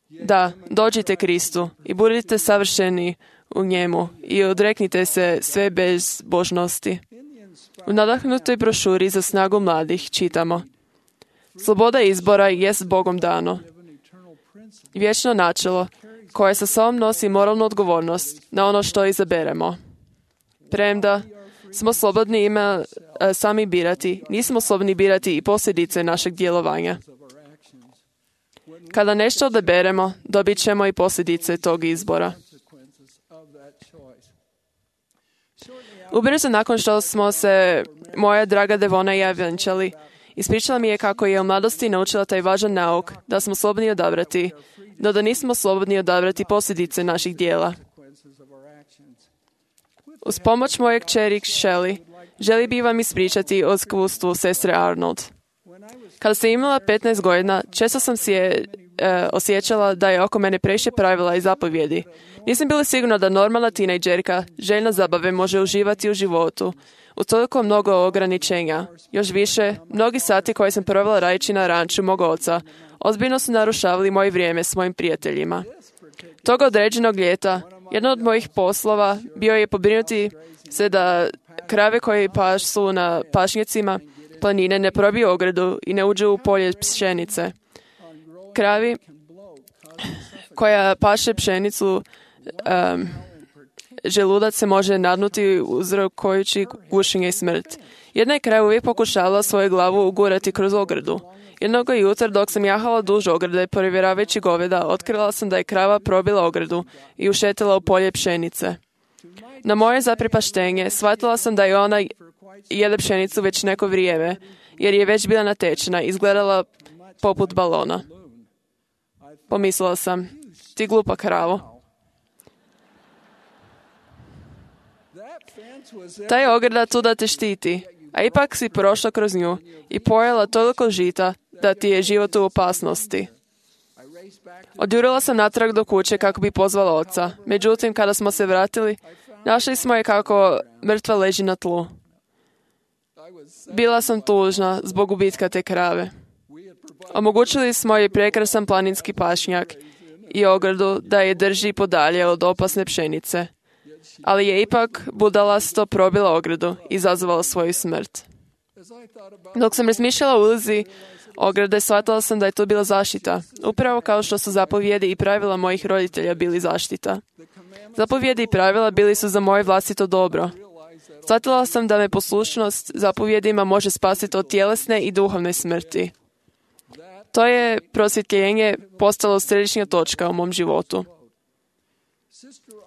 Da, dođite Kristu i budite savršeni u njemu i odreknite se sve bezbožnosti. U nadahnutoj brošuri za snagu mladih čitamo: sloboda izbora jest Bogom dano. Vječno načelo koje sa sobom nosi moralnu odgovornost na ono što izaberemo. Premda smo slobodni sami birati, nismo slobodni birati i posljedice našeg djelovanja. Kada nešto odaberemo, dobit ćemo i posljedice tog izbora. Ubrzo nakon što smo se moja draga Devona i ja vjenčali, ispričala mi je kako je u mladosti naučila taj važan nauk da smo slobodni odabrati, no da nismo slobodni odabrati posljedice naših dijela. Uz pomoć moje kćeri Shelley, želi bi vam ispričati o iskustvu sestre Arnold. Kada sam imala 15 godina, često sam si osjećala da je oko mene previše pravila i zapovjedi. Nisam bila sigurna da normalna tinejdžerka željna zabave može uživati u životu, u toliko mnogo ograničenja. Još više, mnogi sati koje sam provela radeći na ranču mog oca, ozbiljno su narušavali moje vrijeme s mojim prijateljima. Toga određenog ljeta, jedan od mojih poslova bio je pobrinuti se da krave koje pasu na pašnjacima planine ne probiju ogradu i ne uđu u polje pšenice. Kravi koja paše pšenicu, želudac se može nadnuti uzrokujući gušenje i smrt. Jedna je krava uvijek pokušavala svoju glavu ugurati kroz ogradu. Jednog jutra dok sam jahala duž ograde, provjeravajući goveda, otkrila sam da je krava probila ogradu i ušetila u polje pšenice. Na moje zaprepaštenje, shvatila sam da je ona jede pšenicu već neko vrijeme, jer je već bila natečena i izgledala poput balona. Pomislila sam, ti glupa kravo. Ta je ograda tu da te štiti, a ipak si prošla kroz nju i pojela toliko žita da ti je život u opasnosti. Odjurila sam natrag do kuće kako bi pozvala oca. Međutim, kada smo se vratili, našli smo je kako mrtva leži na tlu. Bila sam tužna zbog gubitka te krave. Omogućili smo joj prekrasan planinski pašnjak i ogradu da je drži podalje od opasne pšenice. Ali je ipak budalasto probila ogradu i izazvala svoju smrt. Dok sam razmišljala o ulozi ograde, shvatila sam da je to bila zaštita, upravo kao što su zapovjedi i pravila mojih roditelja bili zaštita. Zapovjedi i pravila bili su za moje vlastito dobro. Shvatila sam da me poslušnost zapovjedima može spasiti od tjelesne i duhovne smrti. To je prosvjetljenje postalo središnja točka u mom životu.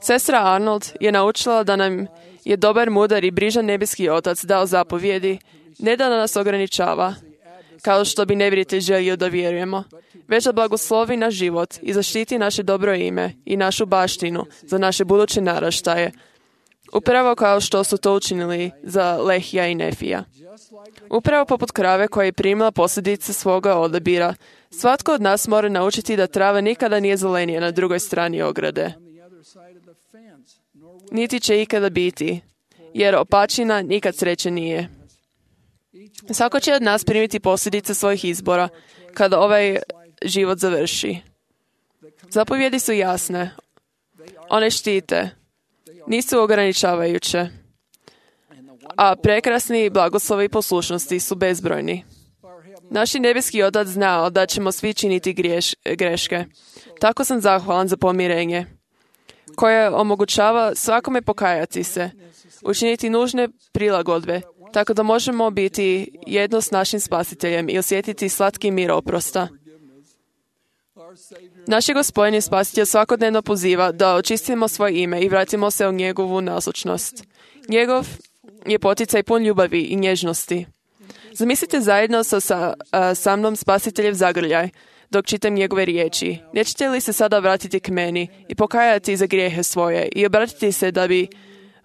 Sestra Arnold je naučila da nam je dobar, mudar i brižan nebeski otac dao zapovjedi, ne da nas ograničava, kao što bi nevjeritelj želio da vjerujemo, već da blagoslovi naš život i zaštiti naše dobro ime i našu baštinu za naše buduće naraštaje, upravo kao što su to učinili za Lehija i Nefija. Upravo poput krave koja je primila posljedice svoga odabira, svatko od nas mora naučiti da trava nikada nije zelenija na drugoj strani ograde. Niti će ikada biti, jer opačina nikad sreće nije. Svako će od nas primiti posljedice svojih izbora kada ovaj život završi. Zapovjedi su jasne. One štite. Nisu ograničavajuće. A prekrasni blagoslovi i poslušnosti su bezbrojni. Naš nebeski otac znao da ćemo svi činiti greške. Tako sam zahvalan za pomirenje, koje omogućava svakome pokajati se, učiniti nužne prilagodbe, tako da možemo biti jedno s našim spasiteljem i osjetiti slatki mir oprosta. Naš Gospodin i Spasitelj svakodnevno poziva da očistimo svoje ime i vratimo se u njegovu nazočnost. Njegov je poticaj pun ljubavi i nježnosti. Zamislite zajedno sa mnom Spasiteljev zagrljaj dok čitam njegove riječi. Nećete li se sada vratiti k meni i pokajati za grijehe svoje i obratiti se da bi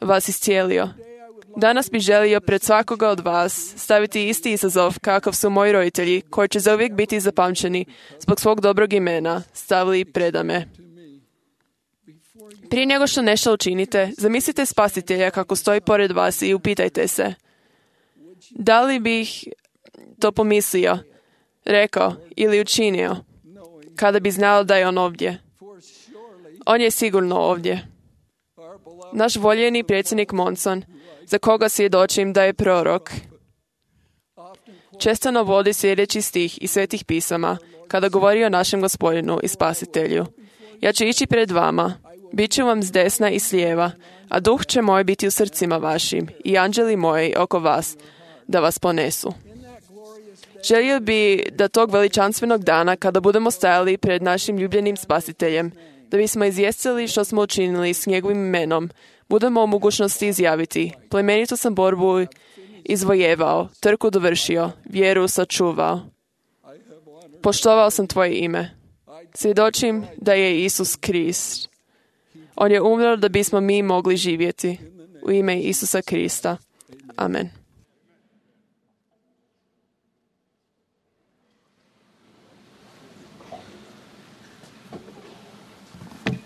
vas iscijelio? Danas bih želio pred svakoga od vas staviti isti izazov kakav su moji roditelji, koji će zauvijek biti zapamćeni zbog svog dobrog imena, stavili predame. Prije nego što nešto učinite, zamislite Spasitelja kako stoji pored vas i upitajte se: da li bih to pomislio, rekao ili učinio kada bi znao da je on ovdje? On je sigurno ovdje. Naš voljeni predsjednik Monson, za koga svjedočim da je prorok, često navodi sljedeći stih iz Svetih pisama kada govori o našem Gospodinu i Spasitelju. Ja ću ići pred vama, bit ću vam s desna i s lijeva, a duh će moj biti u srcima vašim i anđeli moji oko vas, da vas ponesu. Želio bi da tog veličanstvenog dana, kada budemo stajali pred našim ljubljenim Spasiteljem, da bismo izvijestili što smo učinili s njegovim imenom, budemo u mogućnosti izjaviti: plemenitu sam borbu izvojevao, trku dovršio, vjeru sačuvao. Poštovao sam tvoje ime. Svjedočim da je Isus Krist. On je umro da bismo mi mogli živjeti. U ime Isusa Krista. Amen.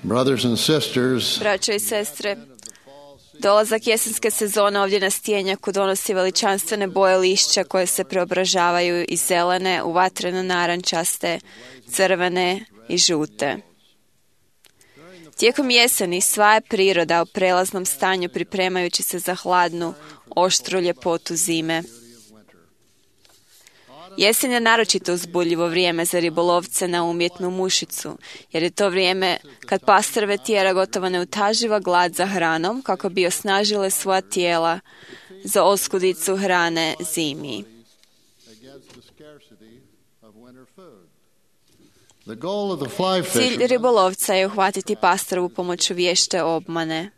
Brothers and sisters, braćo i sestre, dolazak jesenske sezone ovdje na Stjenjaku donosi veličanstvene boje lišća koje se preobražavaju iz zelene u vatreno narančaste, crvene i žute. Tijekom jeseni sva je priroda u prelaznom stanju pripremajući se za hladnu, oštru ljepotu zime. Jesen je naročito uzbudljivo vrijeme za ribolovce na umjetnu mušicu, jer je to vrijeme kad pastrve tjera gotovo neutaživa glad za hranom kako bi osnažile svoja tijela za oskudicu hrane zimi. Cilj ribolovca je uhvatiti pastrvu pomoću vješte obmane.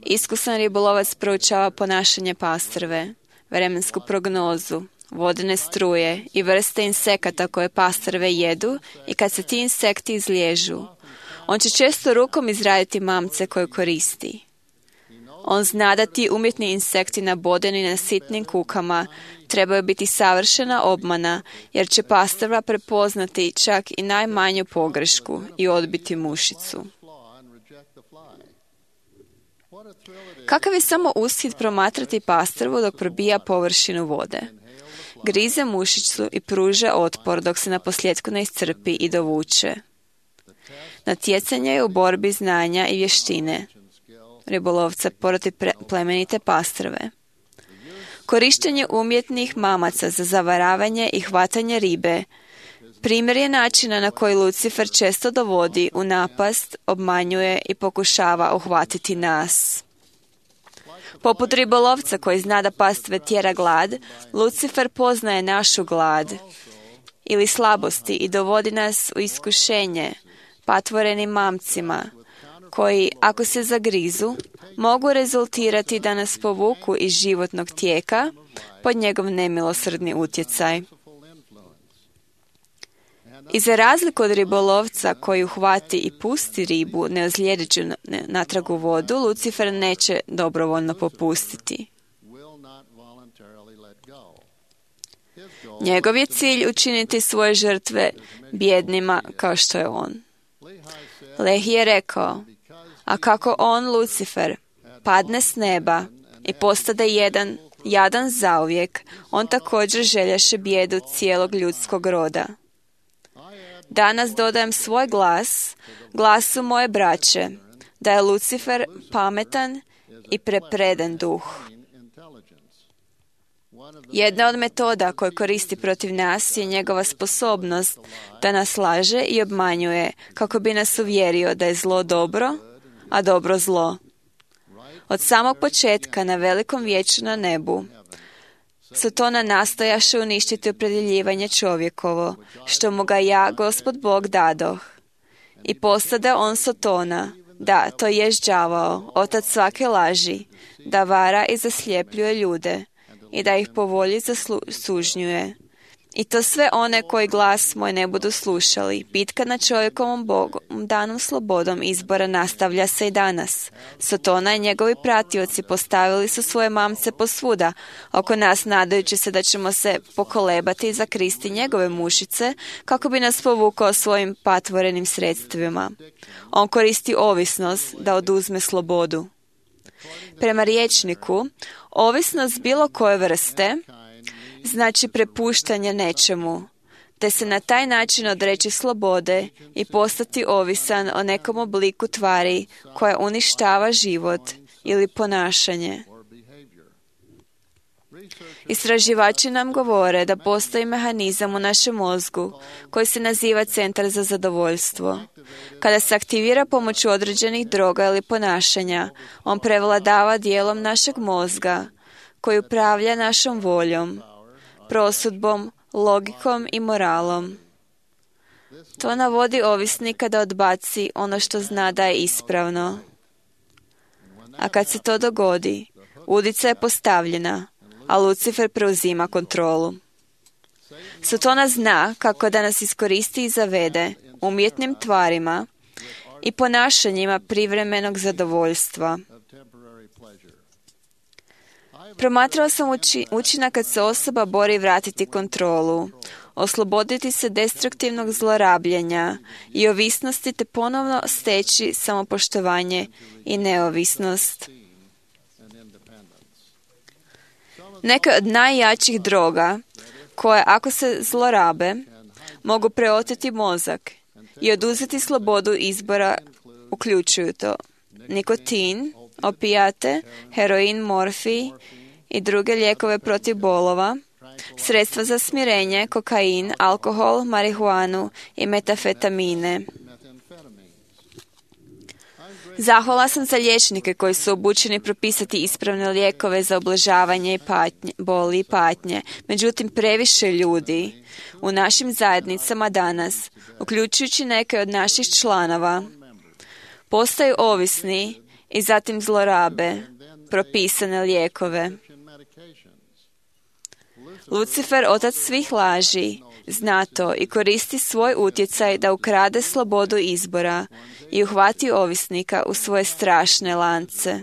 Iskusan ribolovac proučava ponašanje pastrve, vremensku prognozu, vodene struje i vrste insekata koje pastrve jedu i kad se ti insekti izliježu. On će često rukom izraditi mamce koje koristi. On zna da ti umjetni insekti nabodeni na sitnim kukama trebaju biti savršena obmana, jer će pastrva prepoznati čak i najmanju pogrešku i odbiti mušicu. Kakav je samo ushit promatrati pastrvu dok probija površinu vode. Grize mušicu i pruža otpor dok se naposljetku ne iscrpi i dovuče. Natjecanje je u borbi znanja i vještine ribolovca protiv plemenite pastrve. Korištenje umjetnih mamaca za zavaravanje i hvatanje ribe primjer je načina na koji Lucifer često dovodi u napast, obmanjuje i pokušava uhvatiti nas. Poput ribolovca koji zna da pastve tjera glad, Lucifer poznaje našu glad ili slabosti i dovodi nas u iskušenje patvorenim mamcima, koji, ako se zagrizu, mogu rezultirati da nas povuku iz životnog tijeka pod njegov nemilosrdni utjecaj. I za razliku od ribolovca koji uhvati i pusti ribu neozlijedeću natrag u vodu, Lucifer neće dobrovoljno popustiti. Njegov je cilj učiniti svoje žrtve bjednima kao što je on. Lehi je rekao, a kako on, Lucifer, padne s neba i postade jadan zauvijek, on također željaše bijedu cijelog ljudskog roda. Danas dodajem svoj glas, glasu moje braće, da je Lucifer pametan i prepreden duh. Jedna od metoda koju koristi protiv nas je njegova sposobnost da nas laže i obmanjuje kako bi nas uvjerio da je zlo dobro, a dobro zlo. Od samog početka na velikom vijeću na nebu Sotona nastojaše uništiti opredjeljivanje čovjekovo, što mu ga ja, Gospod Bog, dadoh. I postada on Sotona, da, to jest đavao, otac svake laži, da vara i zaslijepljuje ljude i da ih po volji sužnjuje. I to sve one koji glas moj ne budu slušali. Bitka nad čovjekovom Bogom, danom slobodom izbora nastavlja se i danas. Sotona i njegovi pratioci postavili su svoje mamce posvuda oko nas, nadajući se da ćemo se pokolebati i zakristi njegove mušice kako bi nas povukao svojim patvorenim sredstvima. On koristi ovisnost da oduzme slobodu. Prema rječniku, ovisnost bilo koje vrste znači prepuštanje nečemu, te se na taj način odreći slobode i postati ovisan o nekom obliku tvari koja uništava život ili ponašanje. Istraživači nam govore da postoji mehanizam u našem mozgu koji se naziva centar za zadovoljstvo. Kada se aktivira pomoću određenih droga ili ponašanja, on prevladava dijelom našeg mozga koji upravlja našom voljom, prosudbom, logikom i moralom. To navodi ovisnika da odbaci ono što zna da je ispravno. A kad se to dogodi, udica je postavljena, a Lucifer preuzima kontrolu. Sotona zna kako da nas iskoristi i zavede umjetnim tvarima i ponašanjima privremenog zadovoljstva. Promatrao sam učinak kad se osoba bori vratiti kontrolu, osloboditi se destruktivnog zlorabljenja i ovisnosti te ponovno steći samopoštovanje i neovisnost. Neke od najjačih droga, koje ako se zlorabe, mogu preoteti mozak i oduzeti slobodu izbora, uključuju to nikotin, opijate, heroin, morfij i druge lijekove protiv bolova, sredstva za smirenje, kokain, alkohol, marihuanu i metafetamine. Zahvala sam za liječnike koji su obučeni propisati ispravne lijekove za ublažavanje i boli i patnje. Međutim, previše ljudi u našim zajednicama danas, uključujući neke od naših članova, postaju ovisni i zatim zlorabe propisane lijekove. Lucifer, otac svih laži, zna to i koristi svoj utjecaj da ukrade slobodu izbora i uhvati ovisnika u svoje strašne lance.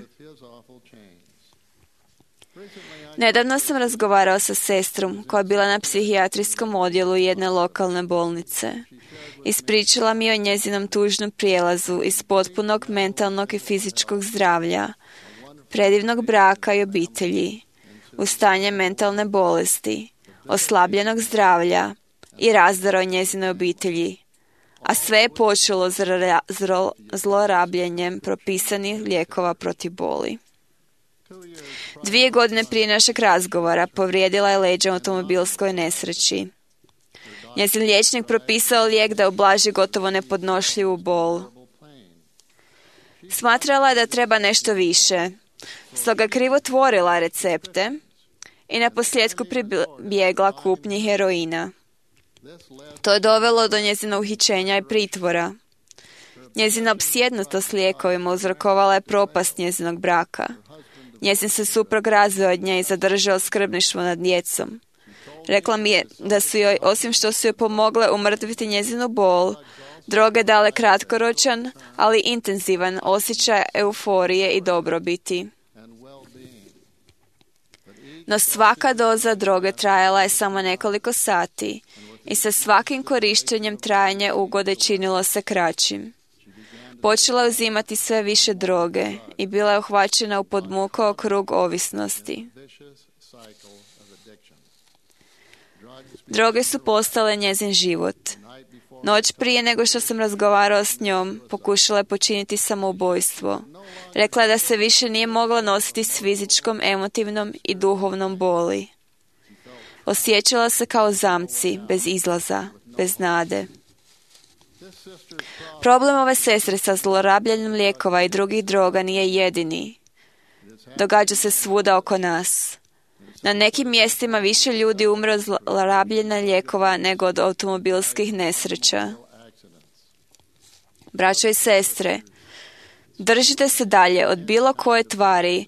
Nedavno sam razgovarao sa sestrom koja je bila na psihijatrijskom odjelu jedne lokalne bolnice. Ispričala mi o njezinom tužnom prijelazu iz potpunog mentalnog i fizičkog zdravlja, predivnog braka i obitelji, u stanje mentalne bolesti, oslabljenog zdravlja i razdora o njezinoj obitelji, a sve je počelo zlorabljenjem propisanih lijekova protiv boli. 2 godine prije našeg razgovora povrijedila je leđa u automobilskoj nesreći. Njezin liječnik propisao lijek da ublaži gotovo nepodnošljivu bol. Smatrala je da treba nešto više, stoga krivotvorila recepte i naposljetku pribjegla kupnji heroina. To je dovelo do njezina uhićenja i pritvora. Njezina opsjednutost lijekovima uzrokovala je propast njezinog braka. Njezin se suprug razveo od nje i zadržao skrbništvo nad djecom. Rekla mi je da su joj, osim što su joj pomogle umrtviti njezinu bol, droge dale kratkoročan, ali intenzivan osjećaj euforije i dobrobiti. No svaka doza droge trajala je samo nekoliko sati i sa svakim korištenjem trajanje ugode činilo se kraćim. Počela je uzimati sve više droge i bila je uhvaćena u podmukao krug ovisnosti. Droge su postale njezin život. Noć prije nego što sam razgovarao s njom, pokušala je počiniti samoubojstvo. Rekla je da se više nije mogla nositi s fizičkom, emotivnom i duhovnom boli. Osjećala se kao zamci, bez izlaza, bez nade. Problem ove sestre sa zlorabljanjem lijekova i drugih droga nije jedini. Događa se svuda oko nas. Na nekim mjestima više ljudi umre od zlorabljenja lijekova nego od automobilskih nesreća. Braćo i sestre, držite se dalje od bilo koje tvari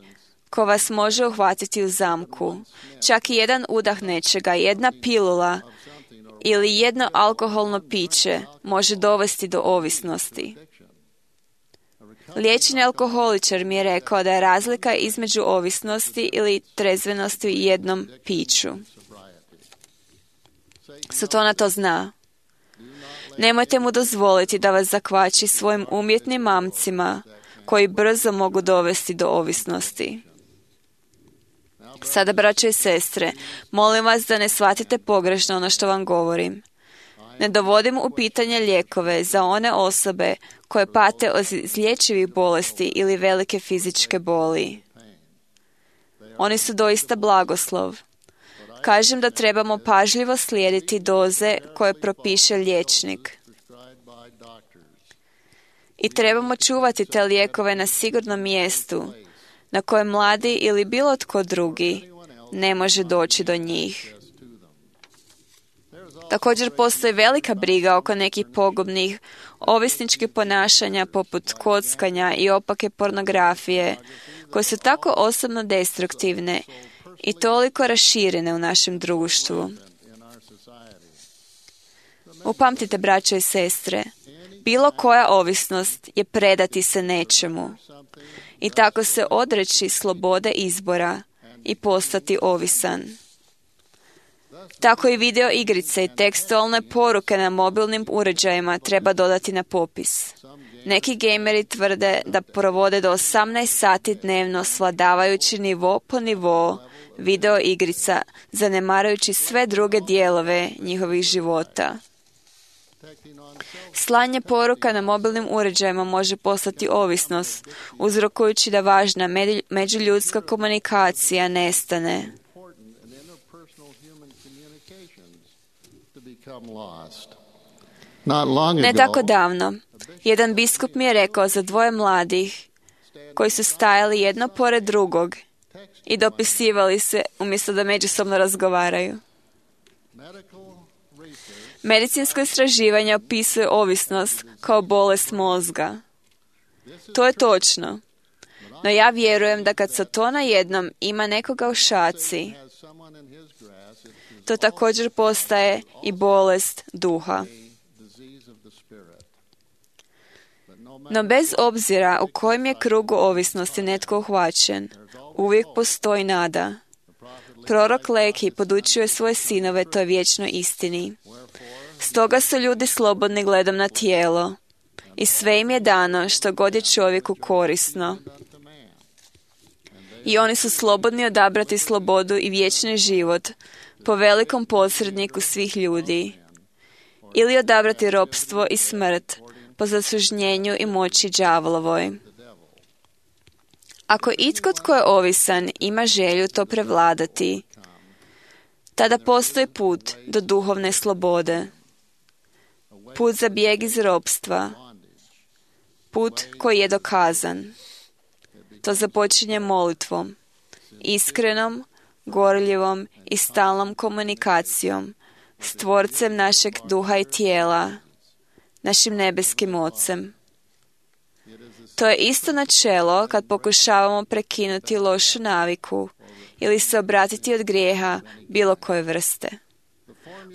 ko vas može uhvatiti u zamku. Čak i jedan udah nečega, jedna pilula ili jedno alkoholno piće može dovesti do ovisnosti. Liječeni alkoholičar mi je rekao da je razlika između ovisnosti ili trezvenosti u jednom piću. Satana to zna. Nemojte mu dozvoliti da vas zakvači svojim umjetnim mamcima koji brzo mogu dovesti do ovisnosti. Sada, braćo i sestre, molim vas da ne shvatite pogrešno ono što vam govorim. Ne dovodim u pitanje lijekove za one osobe koje pate od izlječivih bolesti ili velike fizičke boli. Oni su doista blagoslov. Kažem da trebamo pažljivo slijediti doze koje propiše liječnik. I trebamo čuvati te lijekove na sigurnom mjestu, na kojem mladi ili bilo tko drugi ne može doći do njih. Također postoji velika briga oko nekih pogubnih ovisničkih ponašanja poput kockanja i opake pornografije, koje su tako osobno destruktivne i toliko raširene u našem društvu. Upamtite, braćo i sestre, bilo koja ovisnost je predati se nečemu i tako se odreći slobode izbora i postati ovisan. Tako i video igrice i tekstualne poruke na mobilnim uređajima treba dodati na popis. Neki gejmeri tvrde da provode do 18 sati dnevno svladavajući nivo po nivo video igrica, zanemarujući sve druge dijelove njihovih života. Slanje poruka na mobilnim uređajima može postati ovisnost, uzrokujući da važna međuljudska komunikacija nestane. Ne tako davno, jedan biskup mi je rekao za dvoje mladih koji su stajali jedno pored drugog i dopisivali se umjesto da međusobno razgovaraju. Medicinsko istraživanje opisuje ovisnost kao bolest mozga. To je točno. No ja vjerujem da kad se to najednom ima nekoga u šaci, to također postaje i bolest duha. No bez obzira u kojem je krugu ovisnosti netko uhvaćen, uvijek postoji nada. Prorok Leki podučuje svoje sinove toj vječnoj istini. Stoga su ljudi slobodni gledom na tijelo i sve im je dano što god je čovjeku korisno. I oni su slobodni odabrati slobodu i vječni život po velikom posredniku svih ljudi ili odabrati ropstvo i smrt po zasužnjenju i moći đavolovoj. Ako itko tko je ovisan ima želju to prevladati, tada postoji put do duhovne slobode. Put za bijeg iz ropstva. Put koji je dokazan. To započinje molitvom, iskrenom, gorljivom i stalnom komunikacijom s Tvorcem našeg duha i tijela, našim nebeskim Ocem. To je isto načelo kad pokušavamo prekinuti lošu naviku ili se obratiti od grijeha bilo koje vrste.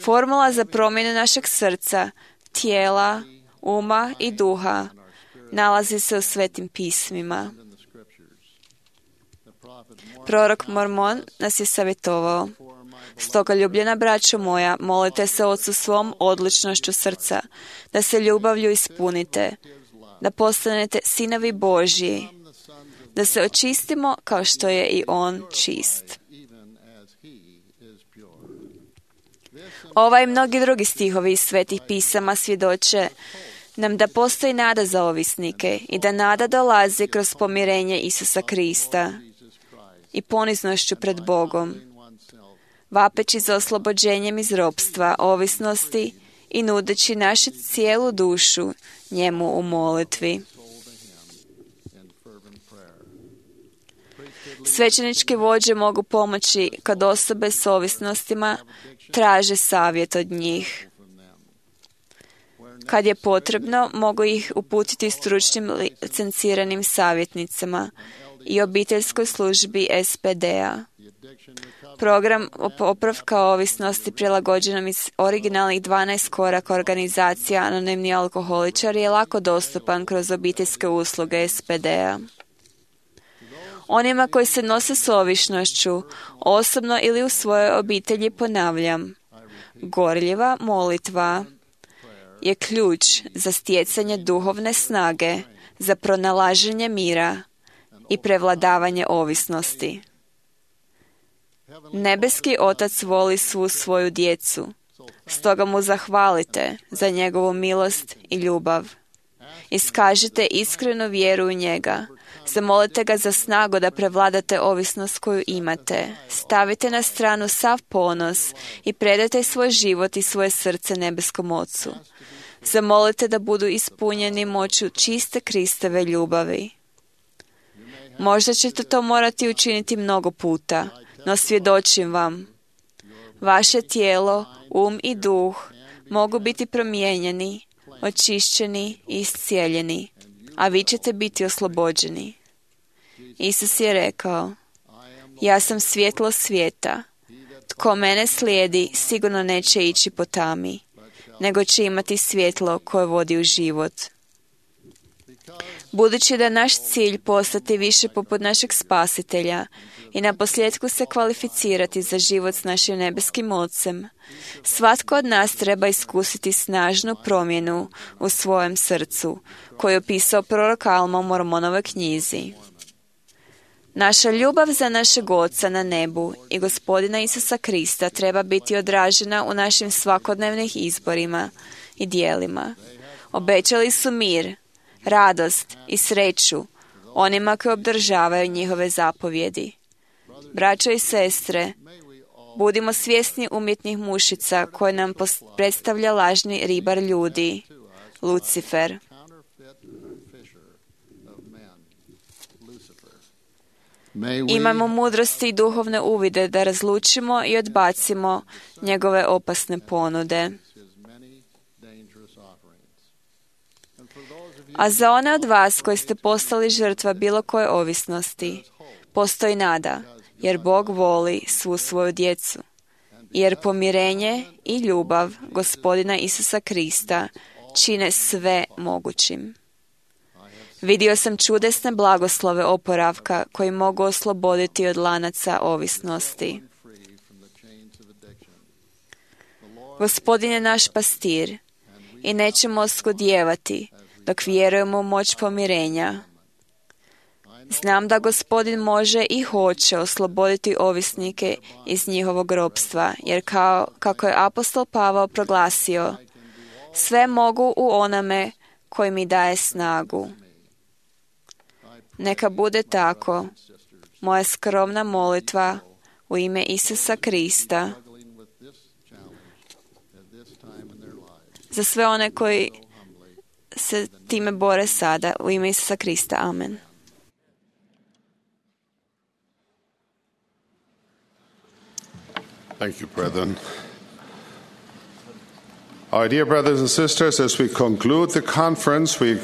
Formula za promjenu našeg srca, tijela, uma i duha nalazi se u Svetim pismima. Prorok Mormon nas je savjetovao: stoga, ljubljena braćo moja, molite se Ocu svom odlučnošću srca, da se ljubavlju ispunite, da postanete sinovi Božji, da se očistimo kao što je i On čist. Ovaj i mnogi drugi stihovi iz Svetih pisama svjedoče nam da postoji nada za ovisnike i da nada dolazi kroz pomirenje Isusa Krista i poniznošću pred Bogom, vapeći za oslobođenjem iz ropstva, ovisnosti i nudeći našu cijelu dušu njemu u molitvi. Svećenički vođe mogu pomoći kad osobe s ovisnostima traže savjet od njih. Kad je potrebno, mogu ih uputiti stručnim licenciranim savjetnicima i obiteljskoj službi SPD-a. Program popravka ovisnosti prilagođenom iz originalnih 12 koraka organizacija Anonimni alkoholičari je lako dostupan kroz obiteljske usluge SPD-a. Onima koji se nose s ovisnošću, osobno ili u svojoj obitelji ponavljam: gorljiva molitva je ključ za stjecanje duhovne snage, za pronalaženje mira i prevladavanje ovisnosti. Nebeski Otac voli svu svoju djecu, stoga mu zahvalite za njegovu milost i ljubav. Iskažite iskrenu vjeru u njega. Zamolite ga za snagu da prevladate ovisnost koju imate. Stavite na stranu sav ponos i predajte svoj život i svoje srce nebeskom Ocu. Zamolite da budu ispunjeni moću čiste Kristove ljubavi. Možda ćete to morati učiniti mnogo puta, no svjedočim vam, vaše tijelo, i duh mogu biti promijenjeni, očišćeni i iscijeljeni, a vi ćete biti oslobođeni. Isus je rekao: ja sam svjetlo svijeta. Tko mene slijedi, sigurno neće ići po tami, nego će imati svjetlo koje vodi u život. Budući da naš cilj postati više poput našeg Spasitelja i naposljetku se kvalificirati za život s našim nebeskim Ocem, svatko od nas treba iskusiti snažnu promjenu u svojem srcu, koju je opisao prorok Alma u Mormonovoj knjizi. Naša ljubav za našeg Oca na nebu i Gospodina Isusa Krista treba biti odražena u našim svakodnevnim izborima i dijelima. Obećali su mir, radost i sreću onima koji obdržavaju njihove zapovjedi. Braćo i sestre, Budimo svjesni umjetnih mušica koje nam predstavlja lažni ribar ljudi, Lucifer. Imamo mudrosti i duhovne uvide da razlučimo i odbacimo njegove opasne ponude. A za one od vas koji ste postali žrtva bilo koje ovisnosti, postoji nada, jer Bog voli svu svoju djecu. Jer pomirenje i ljubav Gospodina Isusa Krista čine sve mogućim. Vidio sam čudesne blagoslove oporavka koji mogu osloboditi od lanaca ovisnosti. Gospodin je naš pastir i nećemo oskudijevati dok vjerujemo u moć pomirenja. Znam da Gospodin može i hoće osloboditi ovisnike iz njihovog ropstva, jer kako je apostol Pavao proglasio, sve mogu u onome koji mi daje snagu. Neka bude tako. Moja skromna molitva u ime Isusa Krista za sve one koji se time bore sada, u ime Isusa Krista. Amen. Thank you, brethren. Our dear brothers and sisters, as we conclude the conference, we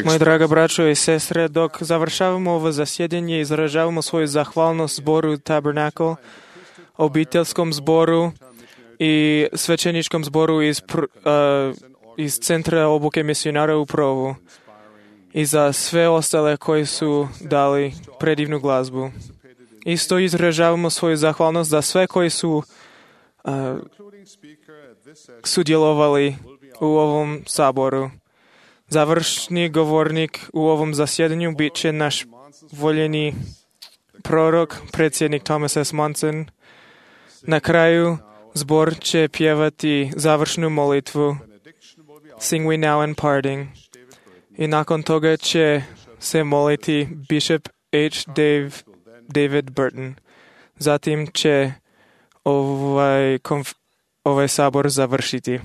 Moji draga braćo i sestre, dok završavamo ovo zasjedanje, izražavamo svoju zahvalnost zboru Tabernacle, obiteljskom zboru i svećeničkom zboru iz Centra obuke misionara u Provu i za sve ostale koji su dali predivnu glazbu. Isto izražavamo svoju zahvalnost za sve koji su sudjelovali u ovom saboru. Završni govornik u ovom zasjedanju bit će naš voljeni prorok, predsjednik Thomas S. Monson. Na kraju zbor će pjevati završnu molitvu Sing We Now in Parting. I nakon toga će se moliti Bishop H. David Burton. Zatim će ovaj sabor završiti.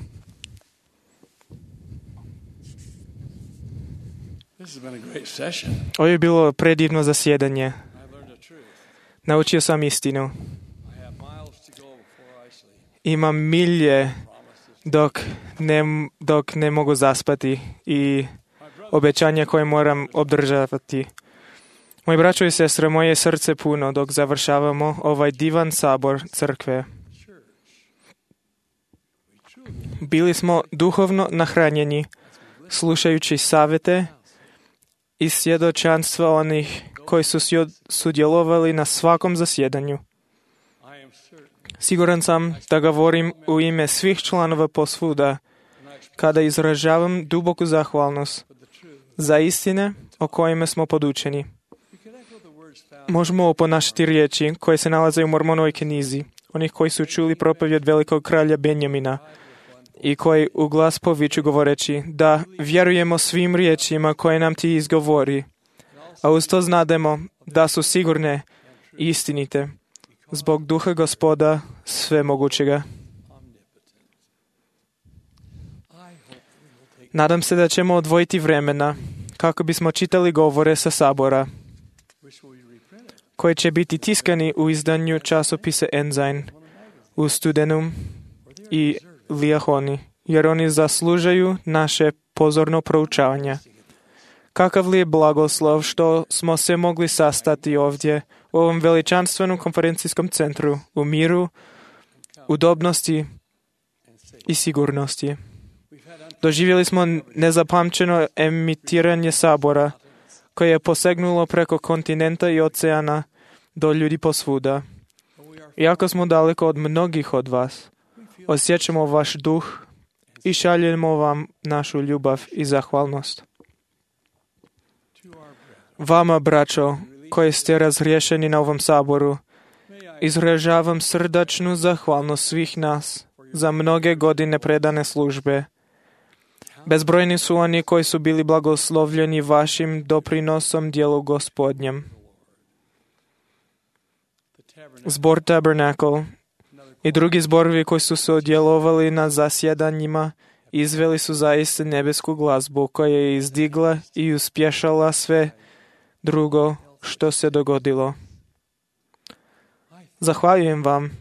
Ovo je bilo predivno zasjedanje. Naučio sam istinu. Imam milje dok ne mogu zaspati i obećanja koje moram obdržavati. Moji braćo i sestre, moje srce puno dok završavamo ovaj divan sabor crkve. Bili smo duhovno nahranjeni, slušajući savjete i svjedočanstva onih koji su sudjelovali na svakom zasjedanju. Siguran sam da govorim u ime svih članova posvuda kada izražavam duboku zahvalnost za istine o kojima smo podučeni. Možemo oponašati riječi koje se nalaze u Mormonovoj knjizi, onih koji su čuli propovjed velikog kralja Benjamina i koji u glas poviču govoreći da vjerujemo svim riječima koje nam ti izgovori, a uz to znademo da su sigurne i istinite zbog duha Gospoda svemogućega. Nadam se da ćemo odvojiti vremena kako bismo čitali govore sa sabora, koji će biti tiskani u izdanju časopisa Ensign u studenom i Liahoni, jer oni zaslužaju naše pozorno proučavanje. Kakav li je blagoslov što smo se mogli sastati ovdje u ovom veličanstvenom konferencijskom centru u miru, udobnosti i sigurnosti. Doživjeli smo nezapamćeno emitiranje sabora koje je posegnulo preko kontinenta i oceana do ljudi posvuda. Iako smo daleko od mnogih od vas, osjećamo vaš duh i šaljemo vam našu ljubav i zahvalnost. Vama, braćo, koji ste razriješeni na ovom saboru, izražavam srdačnu zahvalnost svih nas za mnoge godine predane službe. Bezbrojni su oni koji su bili blagoslovljeni vašim doprinosom djelu Gospodnjem. Zbor Tabernacle I drugi zborovi koji su sudjelovali na zasjedanjima izveli su zaista nebesku glazbu koja je izdigla i uspješala sve drugo što se dogodilo. Zahvaljujem vam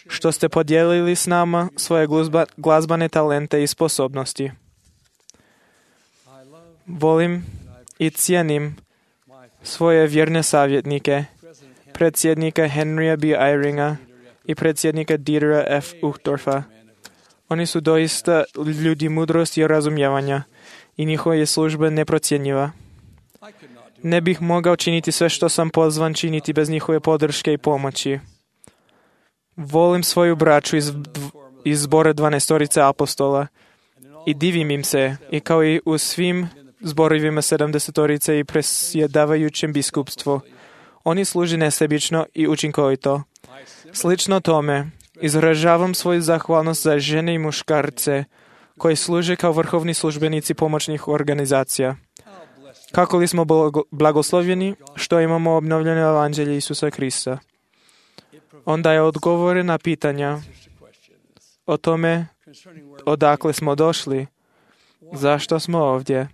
što ste podijelili s nama svoje glazbane talente i sposobnosti. Volim i cijenim svoje vjerne savjetnike, predsjednika Henrya B. Eyringa i predsjednika Dietera F. Uchtdorfa. Oni su doista ljudi mudrosti i razumijevanja i njihova je služba neprocjenjiva. Ne bih mogao činiti sve što sam pozvan činiti bez njihove podrške i pomoći. Volim svoju braću iz zbora 12 apostola i divim im se, i kao i u svim zborovima 70 i presjedavajućem biskupstvu. Oni služe nesebično i učinkovito. Slično tome, izražavam svoju zahvalnost za žene i muškarce koji služe kao vrhovni službenici pomoćnih organizacija. Kako li smo blagoslovljeni što imamo obnovljeno evanđelje Isusa Krista. On daje odgovore na pitanja o tome odakle smo došli, zašto smo ovdje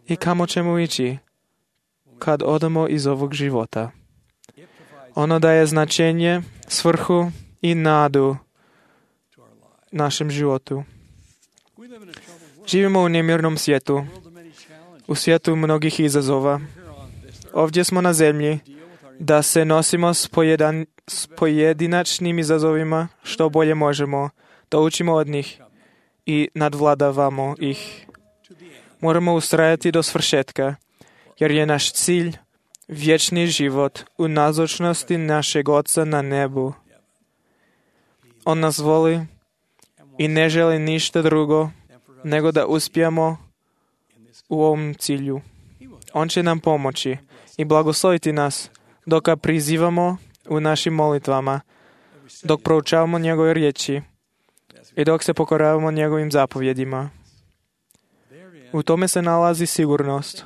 i kamo ćemo ići kad odemo iz ovog života. Ono daje značenje, svrhu i nadu našem životu. Živimo u nemirnom svijetu, u svijetu mnogih izazova. Ovdje smo na zemlji da se nosimo s pojedinačnim izazovima što bolje možemo, da učimo od njih i nadvladavamo ih. Moramo ustrajati do svršetka, jer je naš cilj vječni život u nazočnosti našeg Oca na nebu. On nas voli i ne želi ništa drugo nego da uspijemo u ovom cilju. On će nam pomoći i blagosloviti nas dok ga prizivamo u našim molitvama, dok proučavamo njegove riječi i dok se pokoravamo njegovim zapovjedima. U tome se nalazi sigurnost.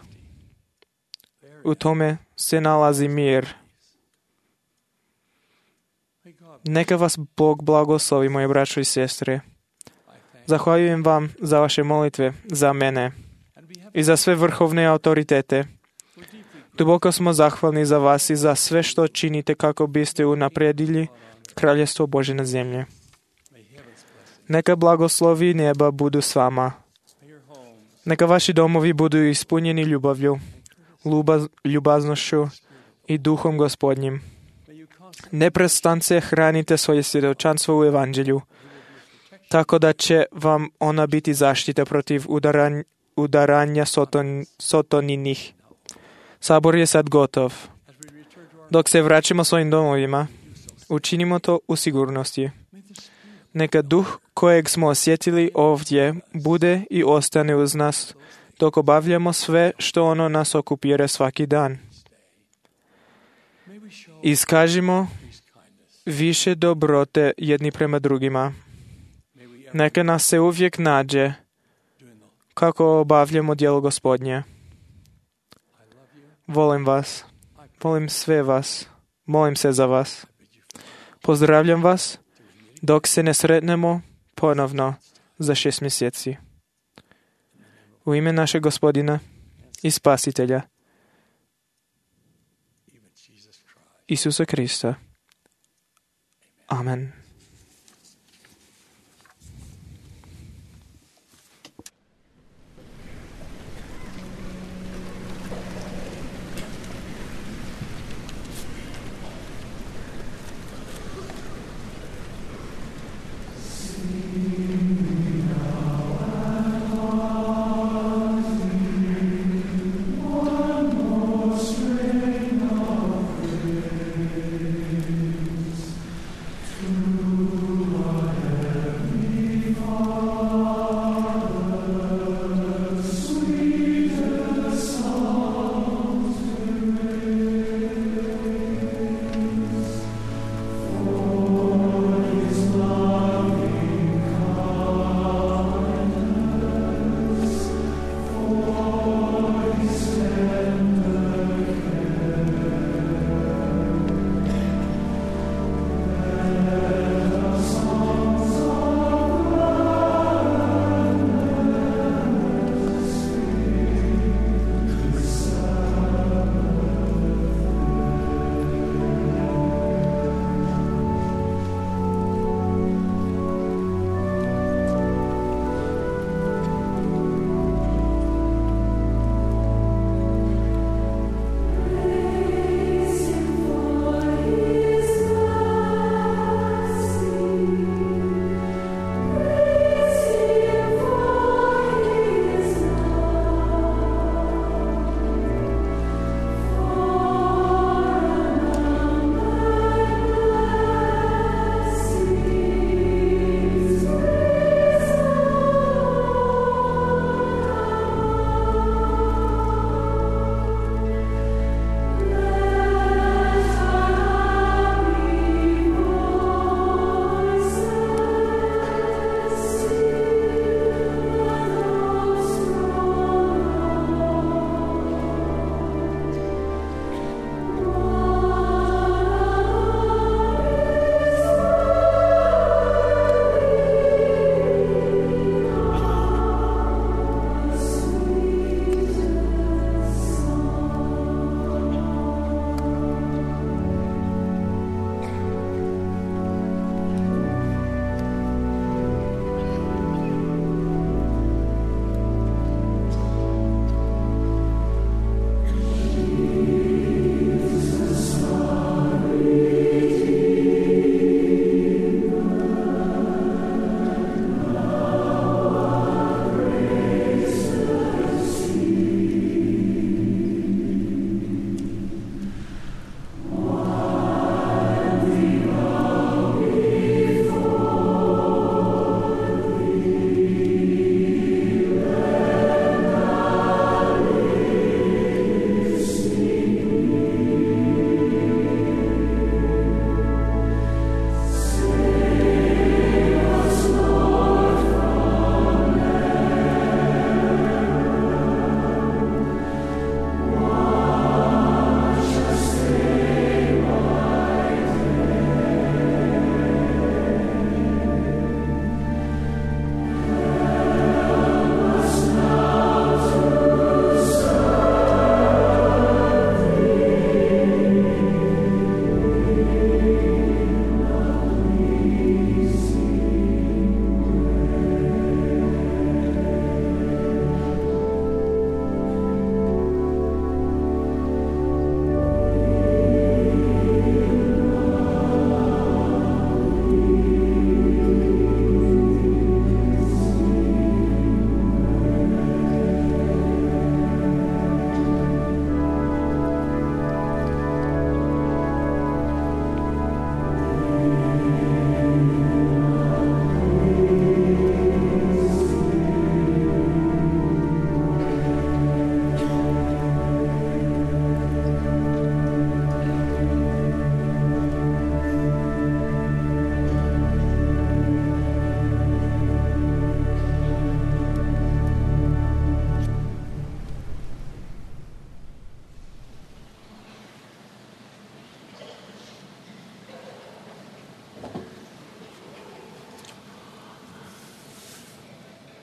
U tome se nalazi mir. Neka vas Bog blagoslovi, moje braćo i sestre. Zahvaljujem vam za vaše molitve, za mene i za sve vrhovne autoritete. Duboko smo zahvalni za vas i za sve što činite kako biste unaprijedili Kraljestvo Božje na zemlji. Neka blagoslovi neba budu s vama. Neka vaši domovi budu ispunjeni ljubavlju, ljubaznošću i duhom Gospodnjim. Neprestance hranite svoje svjedočanstvo u evanđelju, tako da će vam ona biti zaštita protiv udaranja sotoninih. Sabor je sad gotov. Dok se vraćamo svojim domovima, učinimo to u sigurnosti. Neka duh kojeg smo osjetili ovdje bude i ostane uz nas dok obavljamo sve što ono nas okupira svaki dan. Iskažimo više dobrote jedni prema drugima. Neka nas se uvijek nađe kako obavljamo djelo Gospodnje. Volim vas. Volim sve vas. Molim se za vas. Pozdravljam vas dok se ne sretnemo ponovno za 6 mjeseci. U ime našeg Gospodina i Spasitelja Isusa Krista. Amen. Thank you.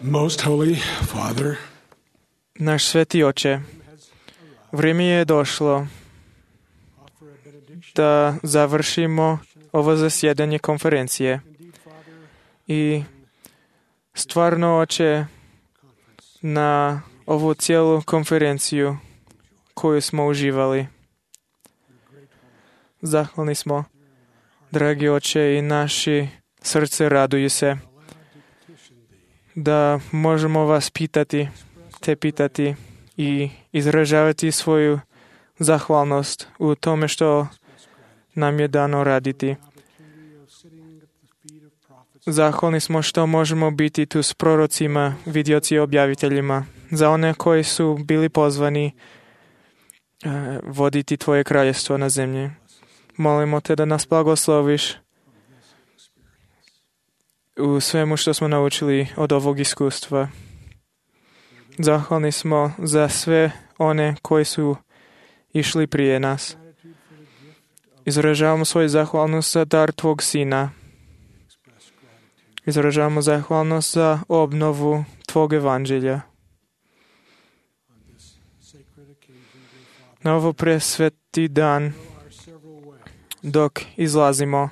Most Holy Father, Náš svätý Oče, vrijeme je došlo da završimo ovo zasjedanje konferencije. I stvarno, Oče, na ovu cijelu konferenciju koju smo uživali. Zahvalni smo, dragi Oče, i naši srce raduju se da možemo vas pitati i izražavati svoju zahvalnost u tome što nam je dano raditi. Zahvalni smo što možemo biti tu s prorocima, vidioci i objaviteljima, za one koji su bili pozvani voditi Tvoje kraljestvo na zemlji. Molimo Te da nas blagosloviš u svemu što smo naučili od ovog iskustva. Zahvalni smo za sve one koji su išli prije nas. Izražavamo svoju zahvalnost za dar Tvog Sina. Izražavamo zahvalnost za obnovu Tvog evanđelja. Na ovo presveti dan, dok izlazimo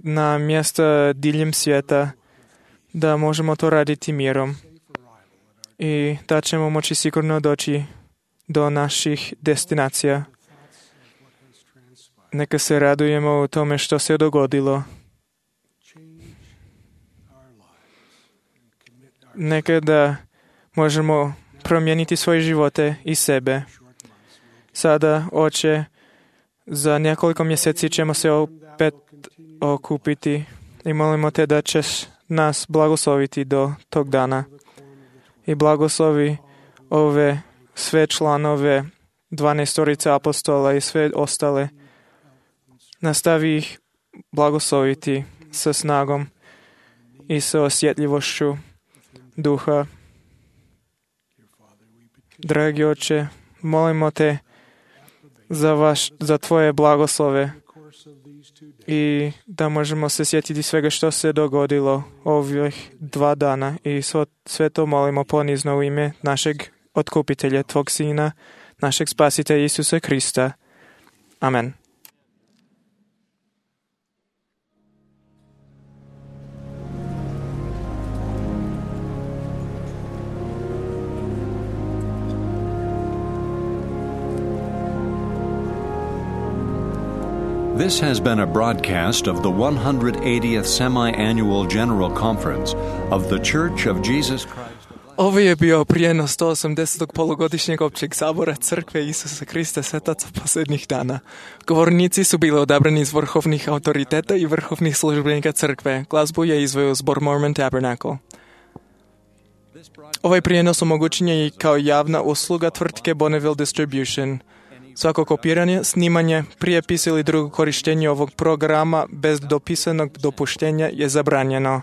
na mjesta diljem svijeta, da možemo to raditi mirom i da ćemo moći sigurno doći do naših destinacija. Neka se radujemo u tome što se dogodilo. Neka da možemo promijeniti svoje živote i sebe. Sada, Oče, za nekoliko mjeseci ćemo se opet okupiti i molimo Te da ćeš nas blagosloviti do tog dana. I blagoslovi ove sve članove 12 apostola i sve ostale. Nastavi ih blagosloviti sa snagom i sa osjetljivošću duha. Dragi Oče, molimo Te za Tvoje blagoslove i da možemo se sjetiti svega što se dogodilo ovih 2 dana i sve to molimo ponizno u ime našeg otkupitelja, Tvog Sina, našeg Spasitelja Isusa Krista. Amen. This has been a broadcast of the 180th Semi-Annual General Conference of the Church of Jesus Christ. Ovo je bio prijenos 180. polugodišnjeg općeg sabora Crkve Isusa Krista Svetaca posljednjih dana. Govornici su bili odabrani iz vrhovnih autoriteta i vrhovnih službenika Crkve. Glazbu je izveo zbor Mormon Tabernacle. Ovaj prijenos omogućen je i kao javna usluga tvrtke Bonneville Distribution. Svako kopiranje, snimanje, prijepis ili drugo korištenje ovog programa bez dopisanog dopuštenja je zabranjeno.